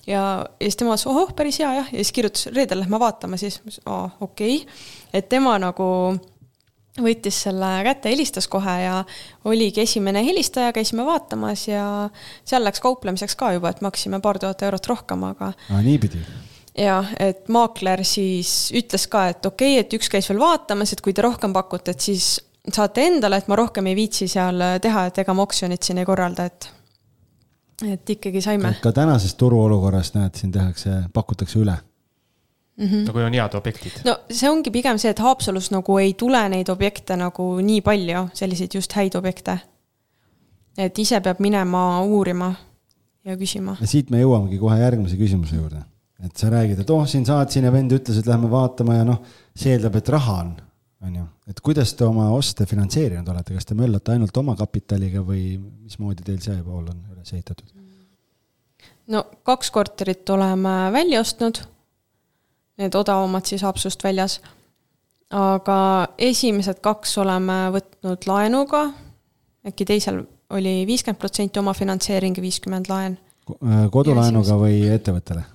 ja siis tema vaatas, päris hea jah, ja siis kirjutas, reedel lähme vaatama, siis okei. Et tema nagu võttis selle kätte, helistas kohe ja oligi esimene helistaja, käisime vaatamas ja seal läks kauplemiseks ka juba, et maksime paar tuhat eurot rohkem, aga nii pidi. Ja, et maakler siis ütles ka, et okei, et üks käis veel vaatamas, et kui te rohkem pakute, et siis saate endale, et ma rohkem ei viitsi seal teha, et ega ma oksjonit siin ei korralda, et ikkagi saime. Ka tänasest turuolukorrast näed, siin pakutakse üle. No kui on head objektid. No see ongi pigem see, et Haapsalus nagu ei tule neid objekte nagu nii palju, selliseid just häid objekte. Et ise peab minema uurima ja küsima. Ja siit me jõuamegi kohe järgmise küsimuse juurde. Et sa räägid, et siin saatsin ja vend ütles, et lähme vaatama ja see eeldab, et raha on ju. Et kuidas te oma oste finantseerinud olete? Kas te möllate ainult oma kapitaliga või mismoodi teil see pool on üles ehitatud? No 2 korterit oleme välja ostnud. Need odavamad siis Haapsust väljas. Aga esimesed 2 oleme võtnud laenuga. Äkki teisel oli 50% oma finantseering ja 50% laen. Kodulaenuga või ettevõttele?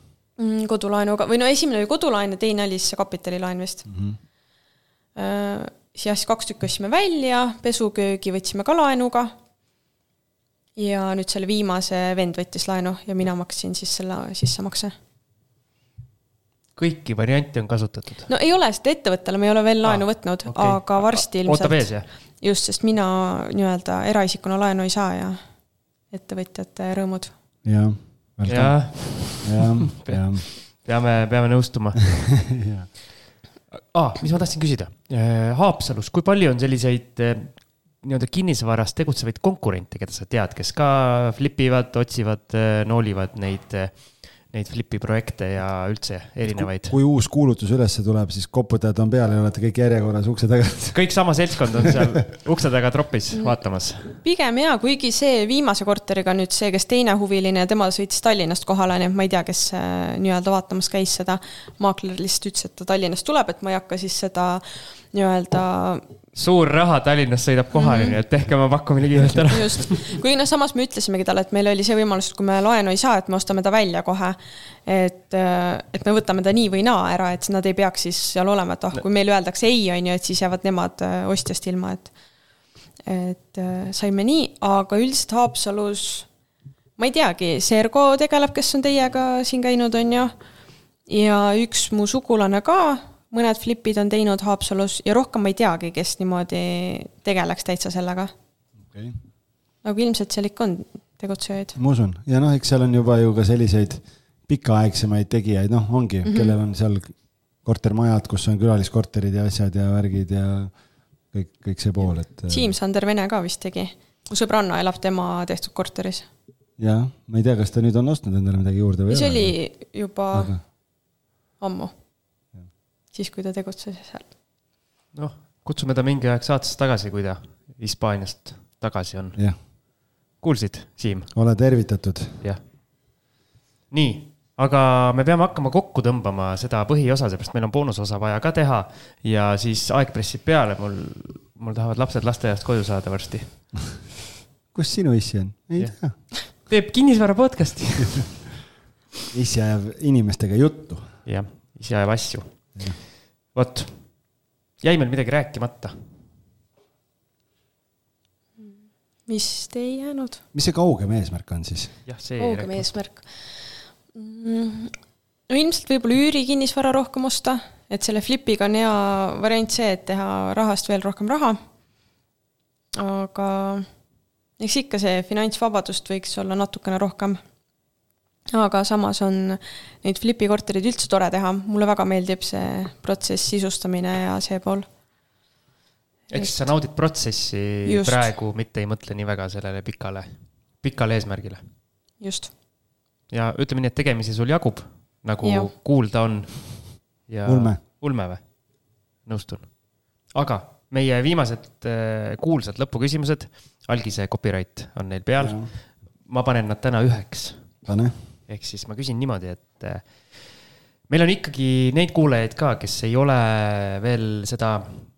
Kodulaenuga, või esimene oli kodulaen ja teine oli see kapitalilaen vist. Siis 2 tükki ostsime välja, pesuköögi võtsime ka laenuga ja nüüd selle viimase vend võttis laenu ja mina maksin siis selle sissemakse. Kõiki variante on kasutatud? No ei ole, sest ettevõttele me ei ole veel laenu võtnud, aga varsti ilmselt. Oota vees, jah? Just, sest mina nii-öelda eraisikuna laenu ei saa ja ettevõtjate rõõmud. Jah. Peame nõustuma. Mis ma tahtsin küsida? Haapsalus, kui palju on selliseid kinnisvarast tegutsevaid konkurente, keda sa tead, kes ka flipivad, otsivad, noolivad neid flipi projekte ja üldse erinevaid? Kui uus kuulutus ülesse tuleb, siis koputajad on peal ja olete kõik järjekorras ukse taga. Kõik sama seltskond on seal ukse taga tropis vaatamas. Pigem jaa, kuigi see viimase korteriga nüüd see, kes teine huviline ja tema sõitis Tallinnast kohale, nii et ma ei tea, kes nii-öelda vaatamas käis seda. Maakler lihtsalt ütles, et ta Tallinnast tuleb, et ma ei hakka siis seda nii-öelda suur raha Tallinnast sõidab kohale, et tehke oma pakkumine kiirelt ära. Just. Kui samas me ütlesimegi talle, et meil oli see võimalus, et kui me laenu ei saa, et me ostame ta välja kohe, et me võtame ta nii või naa ära, et nad ei peaks siis seal olema, et kui meil öeldakse ei, on ju, et siis jäävad nemad ostjast ilma, et saime nii, aga üldiselt Haapsalus, ma ei teagi, Sergo tegeleb, kes on teiega siin käinud, on ju, ja üks mu sugulane ka, mõned flipid on teinud Haapsalus ja rohkem ma ei teagi, kes niimoodi tegeleks täitsa sellega. Okay. Aga ilmselt seal ikka on tegutsejaid. Ma usun. Ja eks seal on juba ju ka selliseid pikaaegsemaid tegijaid, ongi, kellel on seal kortermajad, kus on külaliskorterid ja asjad ja värgid ja kõik see pool. Siim Sander Vene ka vist tegi. Mu sõbranna elab tema tehtud korteris. Ja, ma ei tea, kas ta nüüd on ostnud endale midagi juurde või? See oli juba ammu. Siis, kui ta tegutses seal. Kutsume ta mingi aeg saatesse tagasi, kui ta Hispaaniast tagasi on. Jah, kuulsid, Siim? ole tervitatud. Jah. Nii, aga me peame hakkama kokku tõmbama seda põhiosa, seepärast meil on boonusosa vaja ka teha ja siis aeg pressib peale, mul tahavad lapsed lasteaiast koju saada varsti. Kus sinu issi on? Ei tea. Teeb kinnisvara podcasti. Issi ajab inimestega juttu. Jah, issi ajab asju. Vot, jäi meil midagi rääkimata. Mis te ei jäänud? Mis see kaugem eesmärk on siis? Jah, see kaugem eesmärk. No ilmselt võib-olla üüri kinnisvara rohkem osta, et selle flipiga on hea variant see, et teha rahast veel rohkem raha. Aga eks ikka see finantsvabadust võiks olla natukene rohkem. Aga samas on neid flipi korterid üldse tore teha. Mulle väga meeldib see protsess sisustamine ja see pool. Eks sa naudid protsessi just. Praegu, mitte ei mõtle nii väga sellele pikale eesmärgile. Just. Ja ütleme nii, et tegemisi sul jagub, nagu kuulda on. Ja Ulme või? Nõustun. Aga meie viimased kuulsad lõpuküsimused, Algise copyright on neil peal. Ma panen nad täna 1. Pane. Ehk siis ma küsin niimoodi, et meil on ikkagi neid kuulajaid ka, kes ei ole veel seda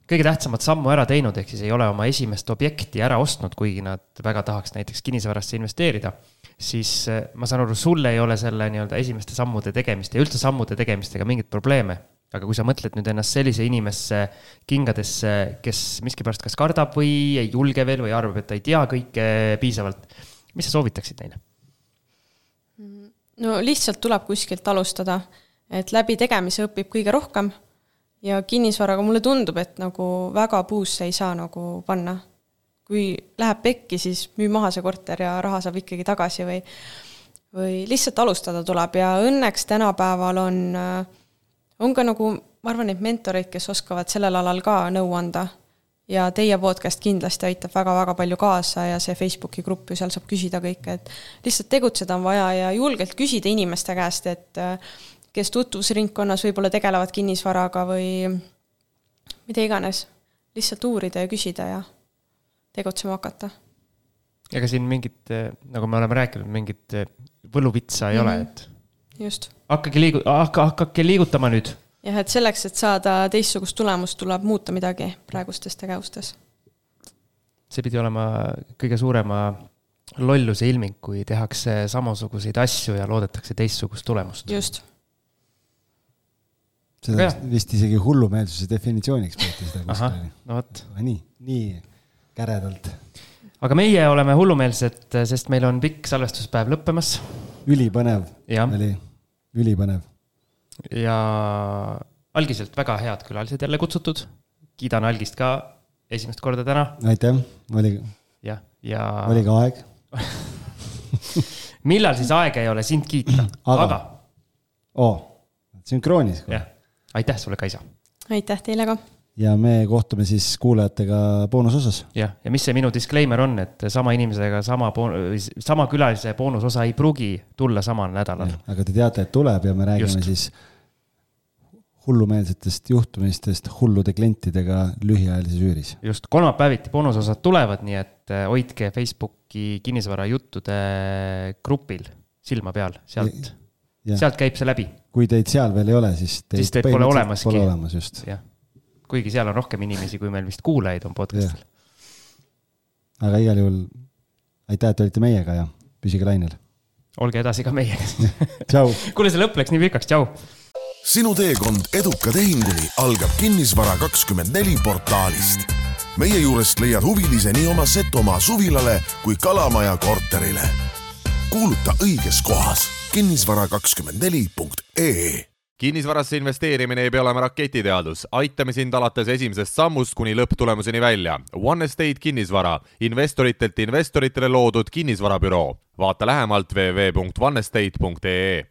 kõige tähtsamat sammu ära teinud, ehk siis ei ole oma esimest objekti ära ostnud, kuigi nad väga tahaks näiteks kinnisvarasse investeerida, siis ma saan aru, sulle ei ole selle nii-öelda esimeste sammude tegemist ja üldse sammude tegemistega mingit probleeme. Aga kui sa mõtled nüüd ennast sellise inimesse kingadesse, kes miskipärast kas kardab või ei julge veel või arvab, et ta ei tea kõike piisavalt, mis sa soovitaksid neile? No lihtsalt tuleb kuskilt alustada, et läbi tegemise õpib kõige rohkem ja kinnisvaraga mulle tundub, et nagu väga puusse ei saa nagu panna. Kui läheb pekki, siis müü maha see korter ja raha saab ikkagi tagasi või lihtsalt alustada tuleb ja õnneks tänapäeval on ka nagu, ma arvan, neid mentoreid, kes oskavad sellel alal ka nõu anda ja teie podcast kindlasti aitab väga-väga palju kaasa ja see Facebooki grupp ju seal saab küsida kõike, et lihtsalt tegutseda on vaja ja julgelt küsida inimeste käest, et kes tutvusringkonnas võib-olla tegelevad kinnisvaraga või mida iganes, lihtsalt uurida ja küsida ja tegutsema hakata. Ega siin mingit, nagu me oleme rääkinud, mingit võluvitsa ei ole, et just. Hakkake liigutama nüüd. Jah, et selleks, et saada teistsugust tulemust, tuleb muuta midagi praegustes tegevustes. See pidi olema kõige suurema lolluse ilming, kui tehakse samasuguseid asju ja loodetakse teistsugust tulemust. Just. Seda vist isegi hullumeelsuse definitsiooniks peeti seda kuskil. No võt. Nii käredalt. Aga meie oleme hullumeelsed, sest meil on pikk salvestuspäev lõppemas. Ülipõnev. Oli ülipõnev. Ja Algiselt väga head külalised jälle kutsutud. Kiidan Algist ka esimest korda täna. Aitäh, oli ka aeg. Millal siis aeg ei ole sind kiita? Aga. Sünkroonis. Aitäh sulle, Kaisa. Aitäh teile ka. Ja me kohtume siis kuulajatega boonusosas. Ja mis see minu disclaimer on, et sama inimesega sama külalise boonusosa ei pruugi tulla samal nädalal. Aga te teate, et tuleb ja me räägime siis hullumeelsetest juhtumistest hullude klientidega lühiajalises üüris. Just, kolmapäeviti boonusosad tulevad, nii et hoidke Facebooki kinnisvara juttude grupil silma peal, sealt käib see läbi. Kui teid seal veel ei ole, siis teid pole olemaski. Pole olemas just. Jah. Kuigi seal on rohkem inimesi, kui meil vist kuulajaid on podcastil. Aga igal juhul aitäh, et olite meiega ja püsige lainel. Olge edasi ka meiega. Tšau. Kuule, see lõpp läks nii pikaks. Tšau. Sinu teekond eduka tehinguni algab Kinnisvara24 portaalist. Meie juurest leiad huvilise nii oma Setomaa suvilale kui Kalamaja korterile. Kuuluta õiges kohas kinnisvara24.ee. Kinnisvarasse investeerimine ei pea olema raketiteadus. Aitame sind alates esimesest sammust kuni lõpptulemuseni välja. One Estate kinnisvara. Investoritelt investoritele loodud kinnisvarabüroo. Vaata lähemalt www.onestate.ee.